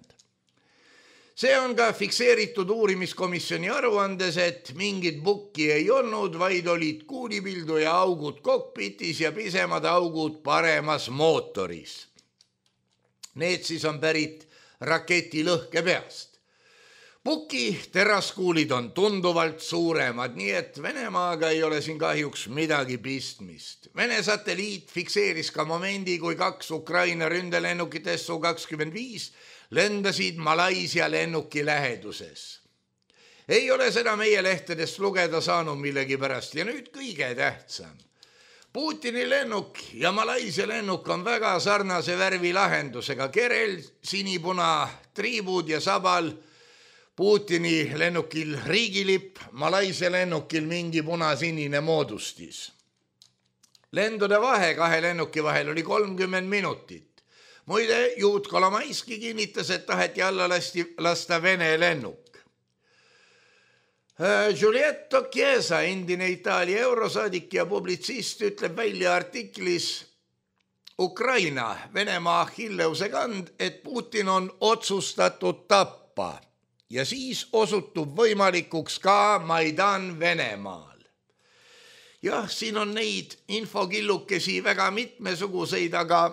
Speaker 3: See on ka fikseeritud uurimiskomisjoni aruandes, et mingit bukki ei olnud, vaid olid kuulipildu ja augud kokpitis ja pisemad augud paremas mootoris. Need siis on pärit raketi lõhkepeast. Buki teraskuulid on tunduvalt suuremad, nii et Venemaaga ei ole siin kahjuks midagi pistmist. Vene satelliit fikseeris ka momendi, kui kaks Ukraina ründelennukit S O kakskümmend viis lendasid Malaisia lennuki läheduses. Ei ole seda meie lehtedest lugeda saanud millegi pärast ja nüüd kõige tähtsam. Putini lennuk ja Malaisia lennuk on väga sarnase värvi lahendusega, kerel, sinipuna, triibud ja sabal. Putini lennukil riigilipp, Malaisia lennukil mingi punasinine moodustis. Lendude vahe kahe lennuki vahel oli kolmkümmend minutit. Muide, Juut Kolomaiski kinnitas, et taheti alla lasti, lasta Vene lennuk. Giulietto Chiesa, endine Itaalia eurosaadik ja publitsist, ütleb välja artiklis Ukraina, Venemaa Achilleuse kand, et Putin on otsustatud tappa. Ja siis osutub võimalikuks ka Maidan Venemaal. Jah, siin on neid infokillukesi väga mitmesuguseid, aga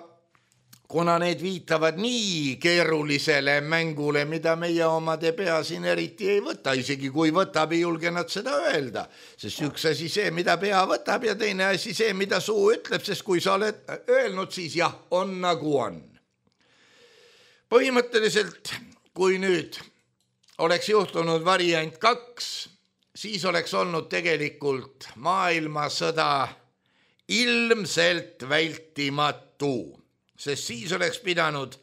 Speaker 3: kuna need viitavad nii keerulisele mängule, mida meie omade pea siin eriti ei võta, isegi kui võtab, ei julge nad seda öelda, sest üks asi see, mida pea võtab ja teine asi see, mida suu ütleb, sest kui sa oled öelnud, siis jah, on nagu on. Põhimõtteliselt, kui nüüd oleks juhtunud variant kaks, siis oleks olnud tegelikult maailmasõda ilmselt vältimatu, sest siis oleks pidanud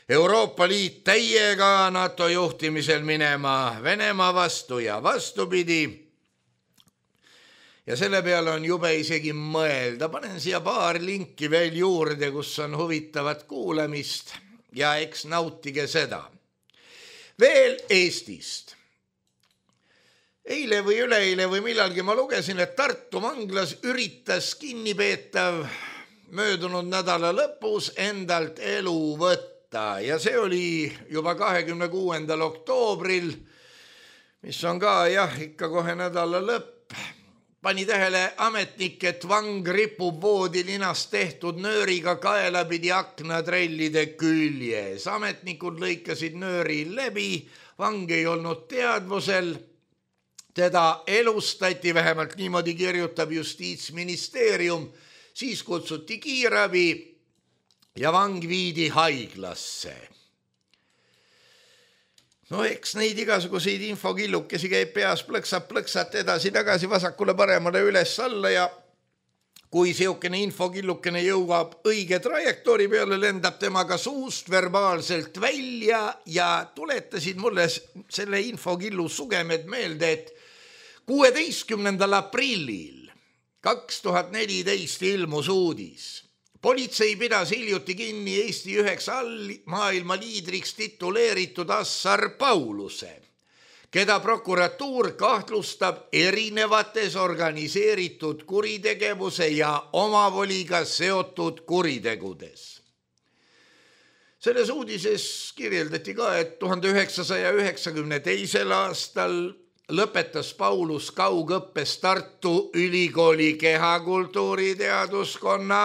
Speaker 3: Euroopa Liit täiega NATO juhtimisel minema Venemaa vastu ja vastupidi. Ja selle peale on jube isegi mõelda. Panen siia paar linki veel juurde, kus on huvitavat kuulamist ja eks nautige seda. Veel Eestist. Eile või üleeile või millalgi ma lugesin, et Tartu vanglas üritas kinnipeetav möödunud nädala lõpus endalt elu võtta ja see oli juba kahekümne kuuendal oktoobril, mis on ka jah, ikka kohe nädala lõpp. Pani tähele ametnik, et vang ripub voodilinast tehtud nööriga kaelapidi aknatrellide küljes. Ametnikud lõikasid nööri läbi, vang ei olnud teadvusel. Teda elustati, vähemalt niimoodi kirjutab Justiitsministeerium, siis kutsuti kiirabi ja vang viidi haiglasse. No eks neid igasuguseid infokillukesi käib peas plõksab plõksat edasi tagasi vasakule paremale üles alla ja kui seukene infokillukene jõuab õige trajektoori peale, lendab temaga suust verbaalselt välja ja tuletasid mulle selle infokillu sugemed meelde, et kuueteistkümnendal aprillil kaks tuhat neliteist ilmus uudis. Politsei pidas hiljuti kinni Eesti üheks maailma liidriks tituleeritud Assar Pauluse, keda prokuratuur kahtlustab erinevates organiseeritud kuritegevuse ja omavoliga seotud kuritegudes. Selles uudises kirjeldati ka, et tuhande üheksasaja üheksakümne teisel aastal lõpetas Paulus kaugõppes Tartu Ülikooli kehakultuuri teaduskonna.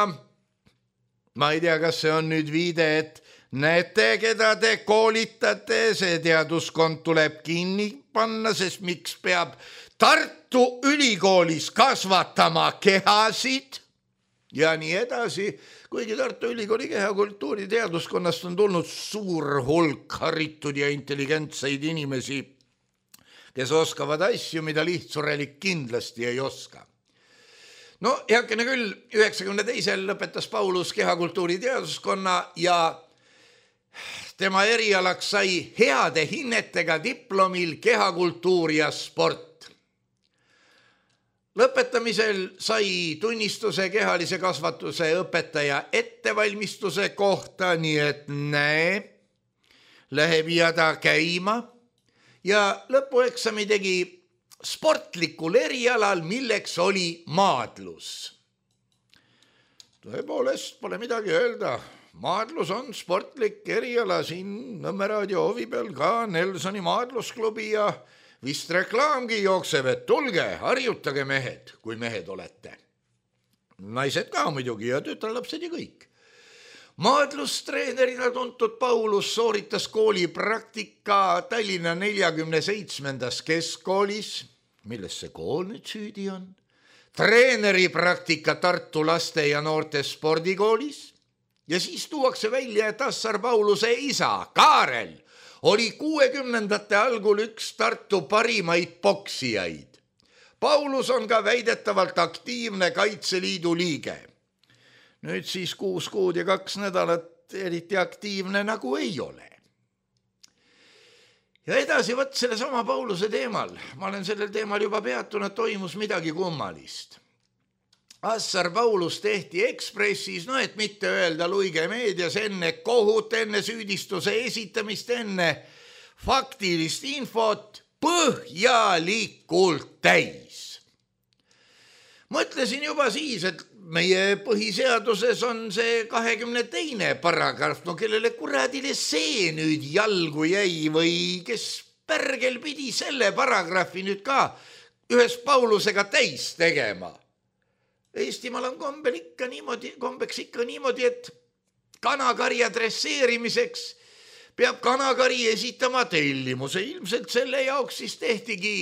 Speaker 3: Ma ei tea, kas see on nüüd viide, et näete, keda te koolitate, see teaduskond tuleb kinni panna, sest miks peab Tartu Ülikoolis kasvatama kehasid ja nii edasi. Kuigi Tartu Ülikooli kehakultuuri teaduskonnast on tulnud suur hulk haritud ja intelligentseid inimesi, kes oskavad asju, mida lihtsurelik kindlasti ei oska. No heakene küll, üheksakümne teisel lõpetas Paulus kehakultuuri teaduskonna ja tema erialaks sai heade hinnetega diplomil kehakultuur ja sport. Lõpetamisel sai tunnistuse kehalise kasvatuse õpetaja ettevalmistuse kohta, nii et näe, läheb jada käima ja lõpueksami tegi sportlikul erialal, milleks oli maadlus. Tõepoolest, pole midagi öelda. Maadlus on sportlik eriala, siin Nõmme raadio hoovi peal ka Nelsoni maadlusklubi ja vist reklaamgi jookseb, et tulge, harjutage mehed, kui mehed olete. Naised ka muidugi ja tütarlapsed ja kõik. Maadlustreenerina tuntud Paulus sooritas kooli praktika Tallinna neljakümne seitsmendas keskkoolis, milles see kool nüüd süüdi on, treeneri praktika Tartu laste ja noorte spordikoolis ja siis tuuakse välja, et Assar Pauluse isa, Kaarel, oli kuuekümnendate algul üks Tartu parimaid poksijaid. Paulus on ka väidetavalt aktiivne Kaitseliidu liige. Nüüd siis kuus kuud ja kaks nädalat eriti aktiivne nagu ei ole. Ja edasi võt selle sama Pauluse teemal. Ma olen sellel teemal juba peatunud, toimus midagi kummalist. Assar Paulus tehti Ekspressis, no et mitte öelda Luige meedias enne kohut, enne süüdistuse esitamist, enne faktilist infot põhjalikult täis. Mõtlesin juba siis, et meie põhiseaduses on see kahekümne teine paragrahv, no kellele kuradile see nüüd jalgu jäi või kes pärgel pidi selle paragrahvi nüüd ka ühes Paulusega täis tegema. Eestimaal on kombel ikka niimoodi, kombeks ikka niimoodi, et kanakarja dresseerimiseks peab kanakari esitama tellimuse. Ilmselt selle jaoks siis tehtigi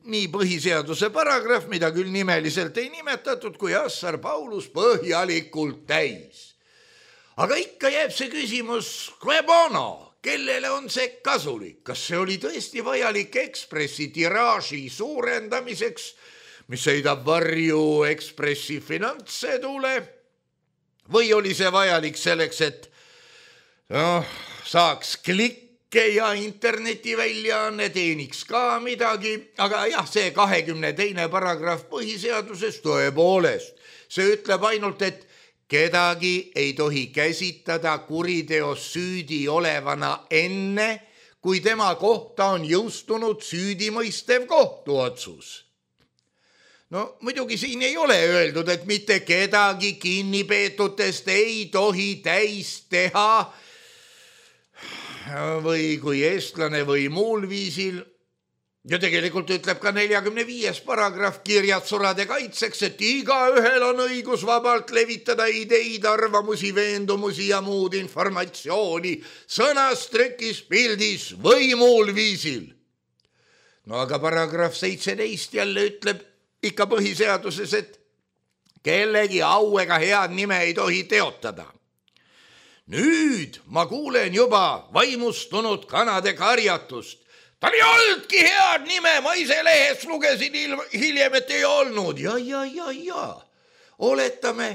Speaker 3: nii põhiseaduse paragrahv, mida küll nimeliselt ei nimetatud, kui Assar Paulus põhjalikult täis. Aga ikka jääb see küsimus, kue bono, kellele on see kasulik? Kas see oli tõesti vajalik Ekspressi tiraaži suurendamiseks, mis heidab varju Ekspressi finantsedule? Või oli see vajalik selleks, et noh, saaks klikke ja internetiväljaanne teeniks ka midagi, aga jah, see kahekümne teine paragrahv põhiseaduses tõepoolest, see ütleb ainult, et kedagi ei tohi käsitada kuriteos süüdi olevana enne, kui tema kohta on jõustunud süüdimõistev kohtuotsus. No muidugi siin ei ole öeldud, et mitte kedagi kinnipeetutest ei tohi täis teha või kui eestlane või muul viisil. Ja tegelikult ütleb ka neljakümne viies paragrahv kirjatsurade kaitseks, et igaühel on õigus vabalt levitada ideid, arvamusi, veendumusi ja muud informatsiooni sõnas, trükis, pildis või muul viisil. No aga paragrahv seitseteist jälle ütleb ikka põhiseaduses, et kellegi au ega head nime ei tohi teotada. Nüüd ma kuulen juba vaimustunud kanade karjatust. Tal ei oldki head nime, ma ise lehest lugesin hiljem, et ei olnud. Ja, ja, ja, ja. Oletame,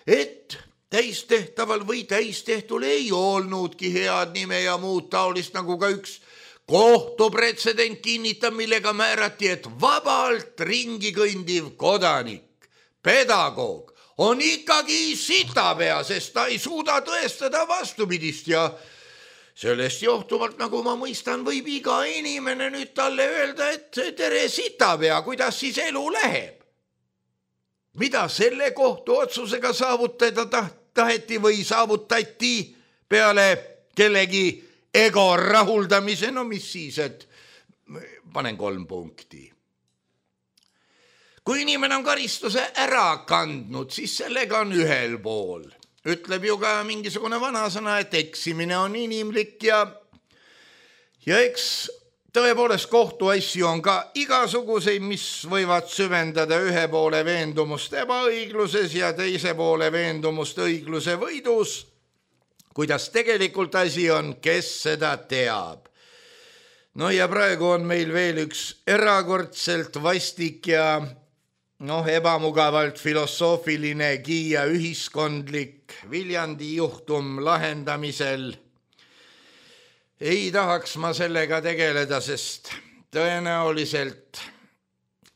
Speaker 3: et täistehtaval või täistehtul ei olnudki head nime ja muud taolist, nagu ka üks kohtupretsedent kinnitab, millega määrati, et vabalt ringi kõndiv kodanik, pedagoog on ikkagi sitapea, sest ta ei suuda tõestada vastupidist ja sellest johtuvalt, nagu ma mõistan, võib iga inimene nüüd talle öelda, et tere sitapea, kuidas siis elu läheb. Mida selle kohtuotsusega saavutada taheti või saavutati peale kellegi ego rahuldamise, no mis siis, et panen kolm punkti. Kui inimene on karistuse ära kandnud, siis sellega on ühel pool. Ütleb ju ka mingisugune vanasõna, et eksimine on inimlik ja, ja eks tõepoolest kohtuasju on ka igasuguseid, mis võivad süvendada ühe poole veendumust ebaõigluses ja teise poole veendumust õigluse võidus. Kuidas tegelikult asi on, kes seda teab. No ja praegu on meil veel üks erakordselt vastik ja noh, ebamugavalt filosoofiline Kiia ühiskondlik Viljandi juhtum lahendamisel. Ei tahaks ma sellega tegeleda, sest tõenäoliselt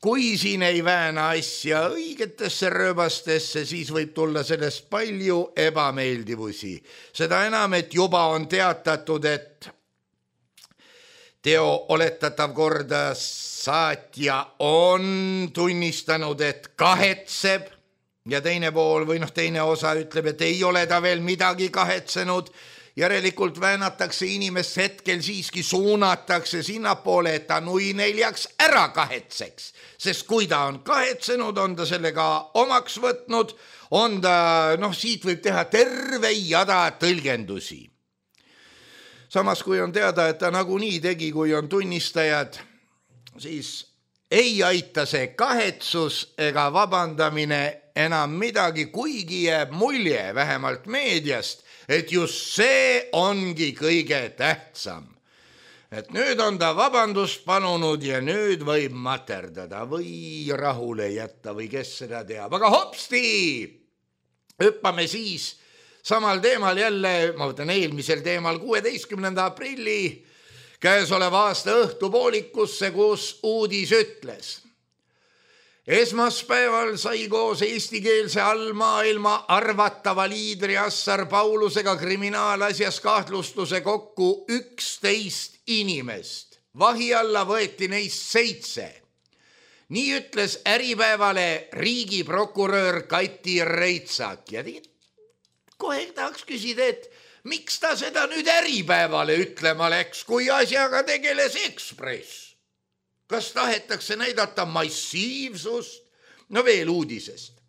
Speaker 3: kui siin ei vääna asja õigetesse rööbastesse, siis võib tulla sellest palju ebameeldivusi. Seda enam, et juba on teatatud, et teo oletatav korda saatja on tunnistanud, et kahetseb ja teine pool või noh, teine osa ütleb, et ei ole ta veel midagi kahetsenud. Järelikult väänatakse inimest hetkel siiski suunatakse sinnapoole, et ta nui neljaks ära kahetseks. Sest kui ta on kahetsenud, on ta sellega omaks võtnud, on ta, noh, siit võib teha terve jada tõlgendusi. Samas, kui on teada, et ta nagunii tegi, kui on tunnistajad, siis ei aita see kahetsus ega vabandamine enam midagi, kuigi jääb mulje vähemalt meediast, et just see ongi kõige tähtsam. Et nüüd on ta vabandust palunud ja nüüd võib materdada või rahule jätta või kes seda teab. Aga hopsti, hüppame siis samal teemal jälle, ma võtan eelmisel teemal kuueteistkümnenda aprilli käesoleva aasta õhtupoolikusse, kus uudis ütles. Esmaspäeval sai koos eestikeelse allmaailma arvatava liidri Assar Paulusega kriminaalasjas kahtlustuse kokku üksteist inimest. Vahi alla võeti neist seitse. Nii ütles Äripäevale riigiprokurör Kati Reitsak. Ja kohe tahaks küsida, et miks ta seda nüüd Äripäevale ütlema läks, kui asjaga tegeles Ekspress? Kas tahetakse näidata massiivsust? No veel uudisest.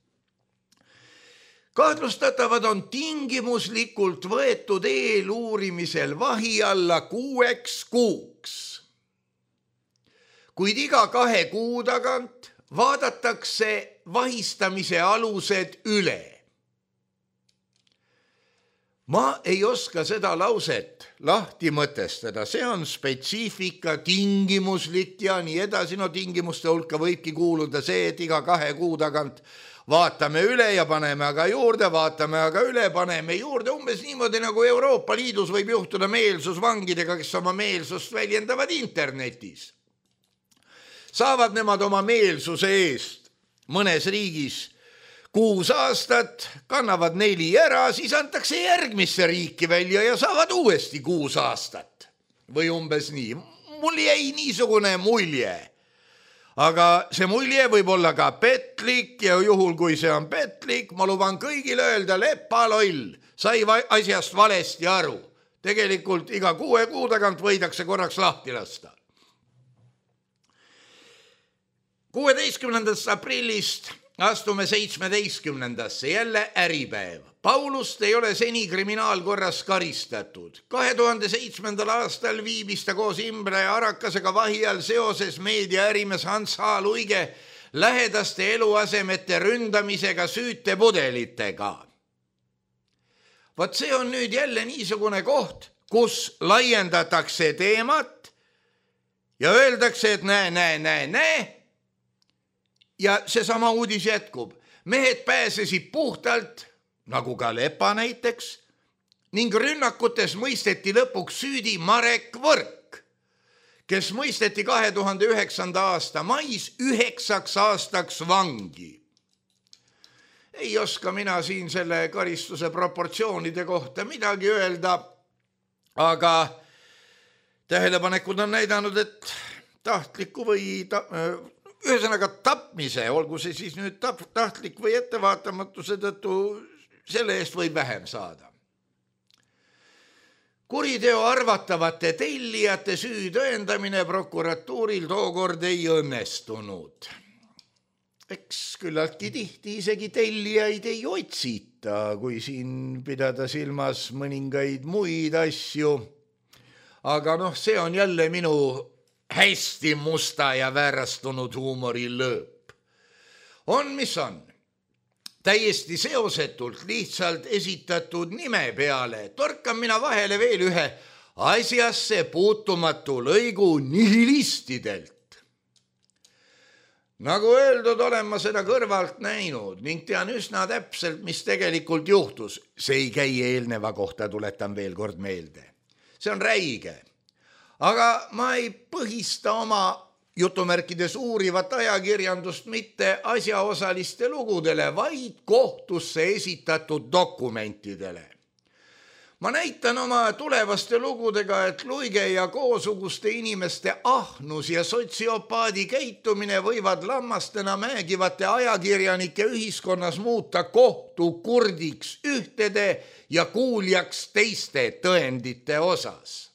Speaker 3: Kahtlustatavad on tingimuslikult võetud eeluurimisel vahi alla kuueks kuuks. Kuid iga kahe kuu tagant vaadatakse vahistamise alused üle. Ma ei oska seda lauset lahti mõtestada, see on spetsiifika, tingimuslik ja nii edasi. No tingimuste hulka võibki kuuluda see, et iga kahe kuu tagant vaatame üle ja paneme aga juurde, vaatame aga üle, paneme juurde, umbes niimoodi nagu Euroopa Liidus võib juhtuda meelsusvangidega, kes oma meelsust väljendavad internetis. Saavad nemad oma meelsuse eest mõnes riigis kuus aastat, kannavad neli ära, siis antakse järgmisse riiki välja ja saavad uuesti kuus aastat. Või umbes nii. Mul jäi niisugune mulje. Aga see mulje võib olla ka petlik ja juhul, kui see on petlik, ma luban kõigile öelda lepaloll, sai asjast valesti aru. Tegelikult iga kuue kuu tagant võidakse korraks lahti lasta. kuueteistkümnendast aprillist astume seitsmeteistkümnendasse, jälle äripäev. Paulust ei ole seni kriminaalkorras karistatud. kahe tuhande seitsmendal aastal viibis ta koos Imre Arakasega vahi all seoses meediaärimees Hans H. Luige lähedaste eluasemete ründamisega süütepudelitega. Vaat see on nüüd jälle niisugune koht, kus laiendatakse teemat ja öeldakse, et näe, näe, näe, näe. Ja see sama uudis jätkub. Mehed pääsesid puhtalt, nagu ka Lepa näiteks, ning rünnakutes mõisteti lõpuks süüdi Marek Võrk, kes mõisteti kahe tuhande üheksanda aasta mais üheksaks aastaks vangi. Ei oska mina siin selle karistuse proportsioonide kohta midagi öelda, aga tähelepanekud on näidanud, et tahtliku või ta, ühesõnaga tapmise, olgu see siis nüüd tahtlik või ettevaatamatuse tõttu, selle eest võib vähem saada. Kuriteo arvatavate tellijate süü tõendamine prokuratuuril tookord ei õnnestunud. Eks küllaltki tihti isegi tellijaid ei otsita, kui siin pidada silmas mõningaid muid asju. Aga noh, see on jälle minu hästi musta ja väärastunud huumori lõõp. On, mis on. Täiesti seosetult lihtsalt esitatud nime peale torkan mina vahele veel ühe asjasse puutumatu lõigu nihilistidelt. Nagu öeldud, olen ma seda kõrvalt näinud ning tean üsna täpselt, mis tegelikult juhtus. See ei käi eelneva kohta, tuletan veel kord meelde. See on räige. Aga ma ei põhista oma jutumärkides uurivat ajakirjandust mitte asjaosaliste lugudele, vaid kohtusse esitatud dokumentidele. Ma näitan oma tulevaste lugudega, et Luige ja koosuguste inimeste ahnus ja sotsiopaadi käitumine võivad lammastena mäegivate ajakirjanike ühiskonnas muuta kohtu kurdiks ühtede ja kuuljaks teiste tõendite osas.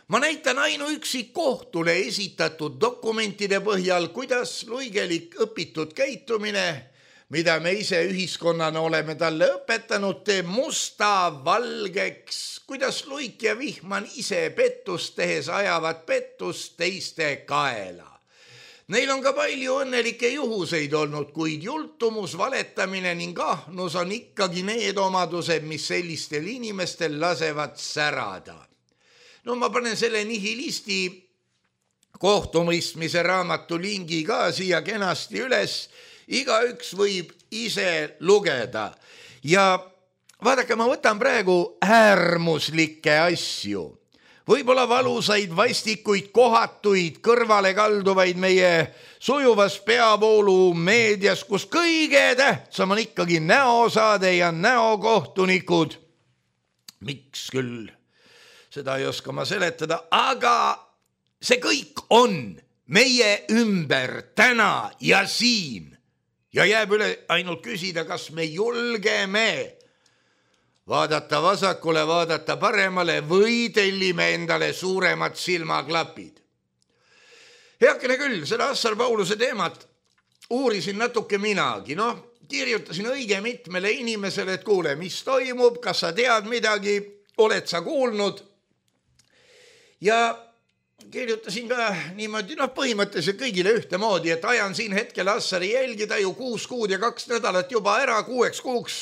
Speaker 3: Ma näitan ainuüksi kohtule esitatud dokumentide põhjal, kuidas Luigelik õpitud käitumine, mida me ise ühiskonnana oleme talle õpetanud, teeb musta valgeks, kuidas Luik ja Vihman ise pettust tehes ajavad pettust teiste kaela. Neil on ka palju õnnelikke juhuseid olnud, kuid jultumus, valetamine ning ahnus on ikkagi need omadused, mis sellistel inimestel lasevad särada. No ma panen selle nihilisti kohtumõistmise raamatu lingi ka siia kenasti üles. Igaüks võib ise lugeda. Ja vaadake, ma võtan praegu äärmuslikke asju. Võib-olla valusaid, vastikuid, kohatuid, kõrvale kalduvaid meie sujuvas peavoolu meedias, kus kõige tähtsam on ikkagi näosaade ja näokohtunikud. Miks küll? Seda ei oska ma seletada, aga see kõik on meie ümber täna ja siin. Ja jääb üle ainult küsida, kas me julgeme vaadata vasakule, vaadata paremale või tellime endale suuremad silmaklapid. Heakene küll, seda Assar Pauluse teemat uurisin natuke minagi. No, kirjutasin õige mitmele inimesele, et kuule, mis toimub, kas sa tead midagi, oled sa kuulnud? Ja kirjutasin ka niimoodi, noh põhimõtteliselt kõigile ühtemoodi, et ajan siin hetkel Assari jälgida ju kuus kuud ja kaks nädalat juba ära, kuueks kuuks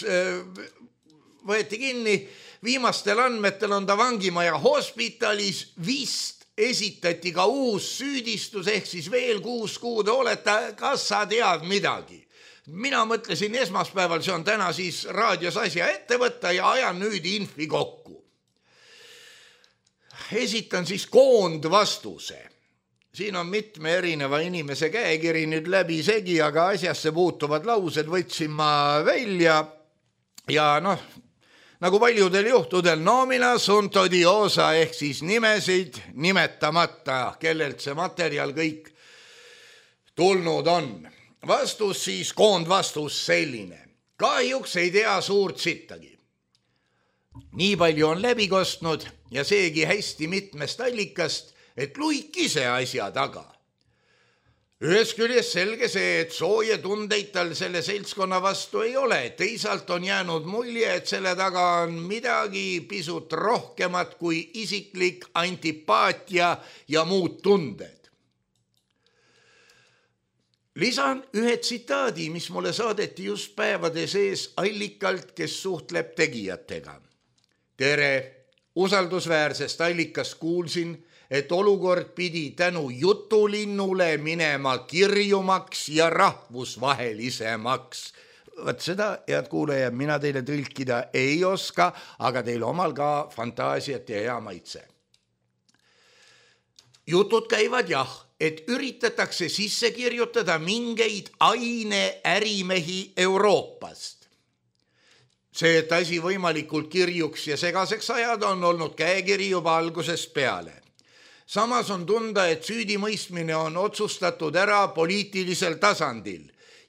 Speaker 3: võeti kinni. Viimastel andmetel on ta vangimaja hospitalis, vist esitati ka uus süüdistus, ehk siis veel kuus kuud oleta, kas sa tead midagi? mina mõtlesin esmaspäeval, see on täna siis raadios asja ette võtta ja ajan nüüd infi kokku. Esitan siis koondvastuse. Siin on mitme erineva inimese käekiri nüüd läbi segi, aga asjasse puutuvad laused võtsin ma välja ja noh, nagu paljudel juhtudel nomina sunt odiosa ehk siis nimesid nimetamata, kellelt see materjal kõik tulnud on. Vastus siis, koondvastus selline. Kahjuks ei tea suurt sittagi. Nii palju on läbi kostnud ja seegi hästi mitmest allikast, et luik ise asja taga. Ühes küljes selge see, et sooje tundeid tal selle seltskonna vastu ei ole. Teisalt on jäänud mulje, et selle taga on midagi pisut rohkemat kui isiklik antipaatia ja muud tunded. Lisan ühe tsitaadi, mis mulle saadeti just päevade sees allikalt, kes suhtleb tegijatega. Tere, usaldusväärsest allikast kuulsin, et olukord pidi tänu jutulinnule minema kirjumaks ja rahvusvahelisemaks. Võt seda, head kuulajad, mina teile tõlkida ei oska, aga teil omal ka fantaasiat ja hea maitse. Jutud käivad jah, et üritatakse sisse kirjutada mingeid aineärimehi Euroopast. See, et asi võimalikult kirjuks ja segaseks ajada, on olnud käekiri juba algusest peale. Samas on tunda, et süüdimõistmine on otsustatud ära poliitilisel tasandil.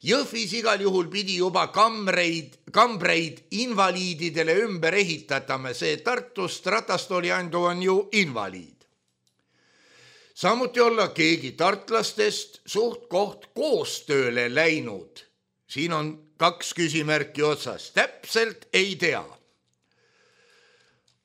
Speaker 3: Jõhvis igal juhul pidi juba kamreid, kambreid invaliididele ümber ehitatame, see Tartust ratastooli andu on ju invaliid. Samuti olla keegi tartlastest suht koht koostööle läinud. Siin on kaks küsimärki otsas, täpselt ei tea.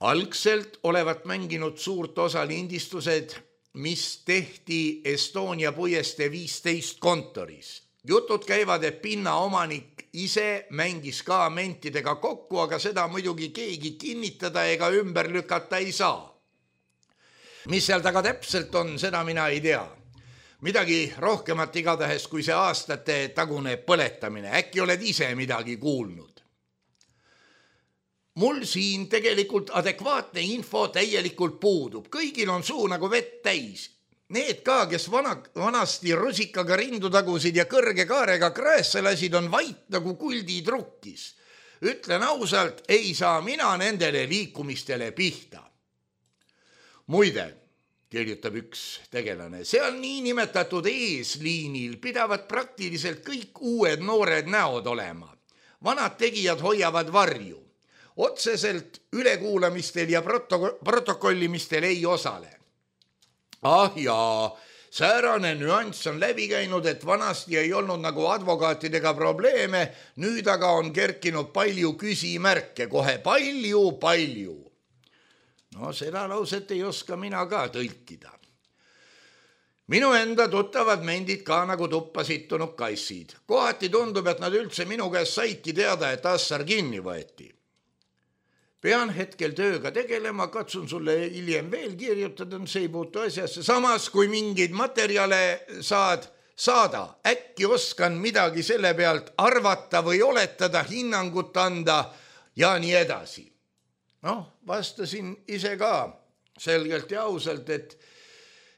Speaker 3: Algselt olevat mänginud suurt osa lindistused, mis tehti Estonia puieste viisteist kontoris. Jutud käivad, et pinna omanik ise mängis ka mentidega kokku, aga seda muidugi keegi kinnitada ega ümber lükata ei saa. Mis seal taga täpselt on, seda mina ei tea. Midagi rohkemat igatahes kui see aastate tagune põletamine. Äkki oled ise midagi kuulnud? Mul siin tegelikult adekvaatne info täielikult puudub. Kõigil on suu nagu vett täis. Need ka, kes vana, vanasti rusikaga rindu tagusid ja kõrge kaarega kraesse lasid, on vait nagu kuldid rukkis. Ütlen ausalt, ei saa mina nendele liikumistele pihta. Muide, kirjutab üks tegelane, seal niinimetatud eesliinil pidavad praktiliselt kõik uued noored näod olema. Vanad tegijad hoiavad varju. Otseselt ülekuulamistel ja proto- protokollimistel ei osale. Ah jaa, säärane nüanss on läbi käinud, et vanasti ei olnud nagu advokaatidega probleeme, nüüd aga on kerkinud palju küsimärke, kohe palju, palju. No seda lauset ei oska mina ka tõlkida. Minu enda tuttavad mendid ka nagu tuppa sittunud kassid. Kohati tundub, et nad üldse minu käest saidki teada, et assar kinni võeti. Pean hetkel tööga tegelema, katsun sulle hiljem veel kirjutada, see ei puutu asjasse. Samas, kui mingeid materjale saad, saada, äkki oskan midagi selle pealt arvata või oletada, hinnangut anda ja nii edasi. Noh, vastasin ise ka selgelt ja ausalt, et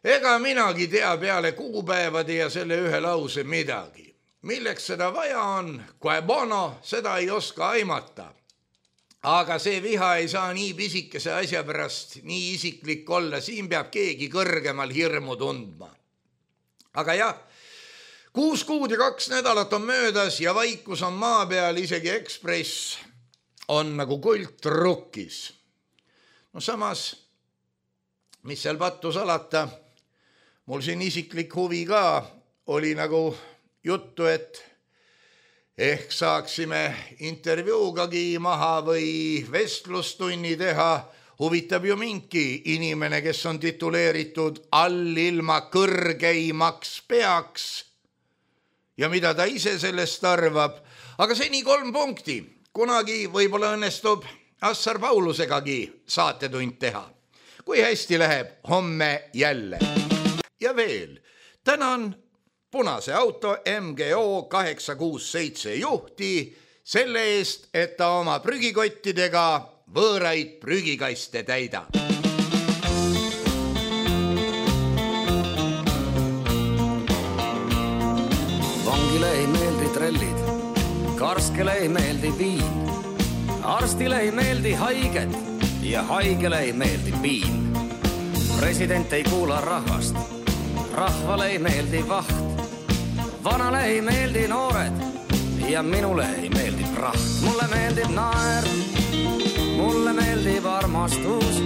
Speaker 3: ega minagi tea peale kuupäevade ja selle ühe lause midagi. Milleks seda vaja on, kui bono, seda ei oska aimata. Aga see viha ei saa nii pisikese asja pärast nii isiklik olla, siin peab keegi kõrgemal hirmu tundma. Aga jah, kuus kuud ja kaks nädalat on möödas ja vaikus on maa peal, isegi Ekspress on nagu kult rukkis. No samas, mis seal pattu salata, mul siin isiklik huvi ka oli nagu juttu, et ehk saaksime intervjuugagi maha või vestlustunni teha. Huvitab ju mingi inimene, kes on tituleeritud allilma kõrgeimaks peaks ja mida ta ise sellest arvab. Aga seni kolm punkti. Kunagi võib-olla õnnestub Assar Paulusegagi saatetund teha. Kui hästi läheb, homme jälle. Ja veel, tänan punase auto M G O kaheksa kuus seitse juhti selle eest, et ta oma prügikottidega võõraid prügikaste täidab.
Speaker 4: Vangile ei meeldi trellid, karskele ei meeldi viin, arstile ei meeldi haiged ja haigele ei meeldi piin. President ei kuula rahvast, rahvale ei meeldi vaht, vanale ei meeldi noored ja minule ei meeldi praht. Mulle meeldib naer, mulle meeldib armastus,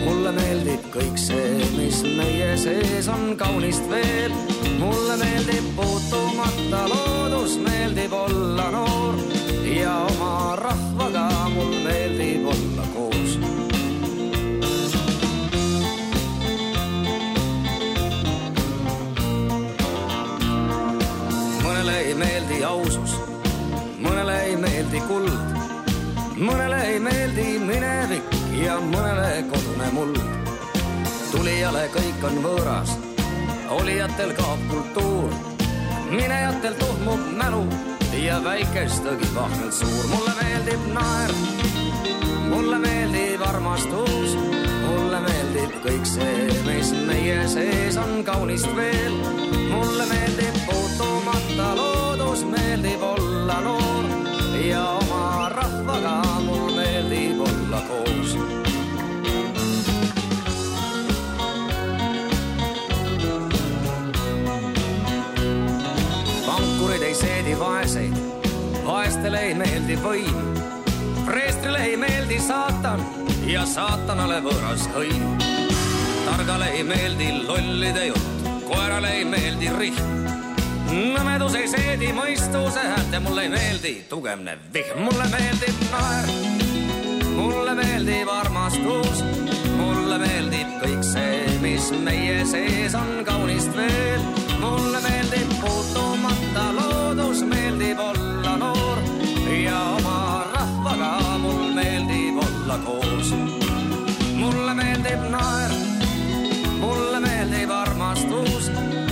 Speaker 4: mulle meeldib kõik see, mis meie sees on kaunist veel. Mulle meeldib puutumata loodus, meeldib olla noor ja oma rahvaga mul meeldib olla koos. Mõnele ei meeldi ausus, mõnele ei meeldi kuld, mõnele ei meeldi minevik ja mõnele kodune muld. Tulijale kõik on võõras, olijatel kaob kultuur, minejatel tuhmub mälu ja väikestagi vahvelt suur. Mulle meeldib naer, mulle meeldib armastus, mulle meeldib kõik see, mis meie sees on kaunist veel. Mulle meeldib puutumata loodus, meeldib olla noor ja oma rahvaga mul meeldib olla koos. Pankurid ei seedi vaeseid, vaestele ei meeldi võim, preestrile ei meeldi saatan ja saatanale võõras hõim. Targale ei meeldi lollide jutt, koerale ei meeldi rihm, nõmedus ei seedi mõistuse häält ja mulle ei meeldi tugevne vihm. Mulle meeldib naer, mulle meeldib armastus, mulle meeldib kõik see, mis meie sees on kaunist veel. Mulle meeldib puutumata loodus, meeldib olla noor ja oma rahvaga mul meeldib olla koos. Mulle meeldib naer, mulle meeldib armastus,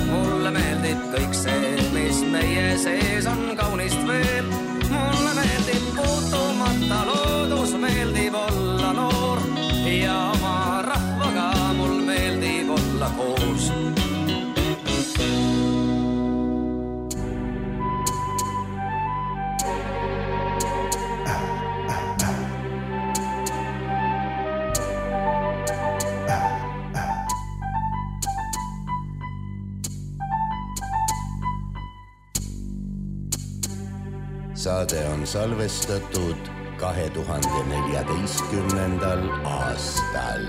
Speaker 4: mulle meeldib kõik see, mis meie sees on kaunist veel. Mulle meeldib puutumata loodus, meeldib olla noor ja oma rahvaga mul meeldib olla koos.
Speaker 2: Saade on salvestatud kahe tuhande neljateistkümnendal aastal.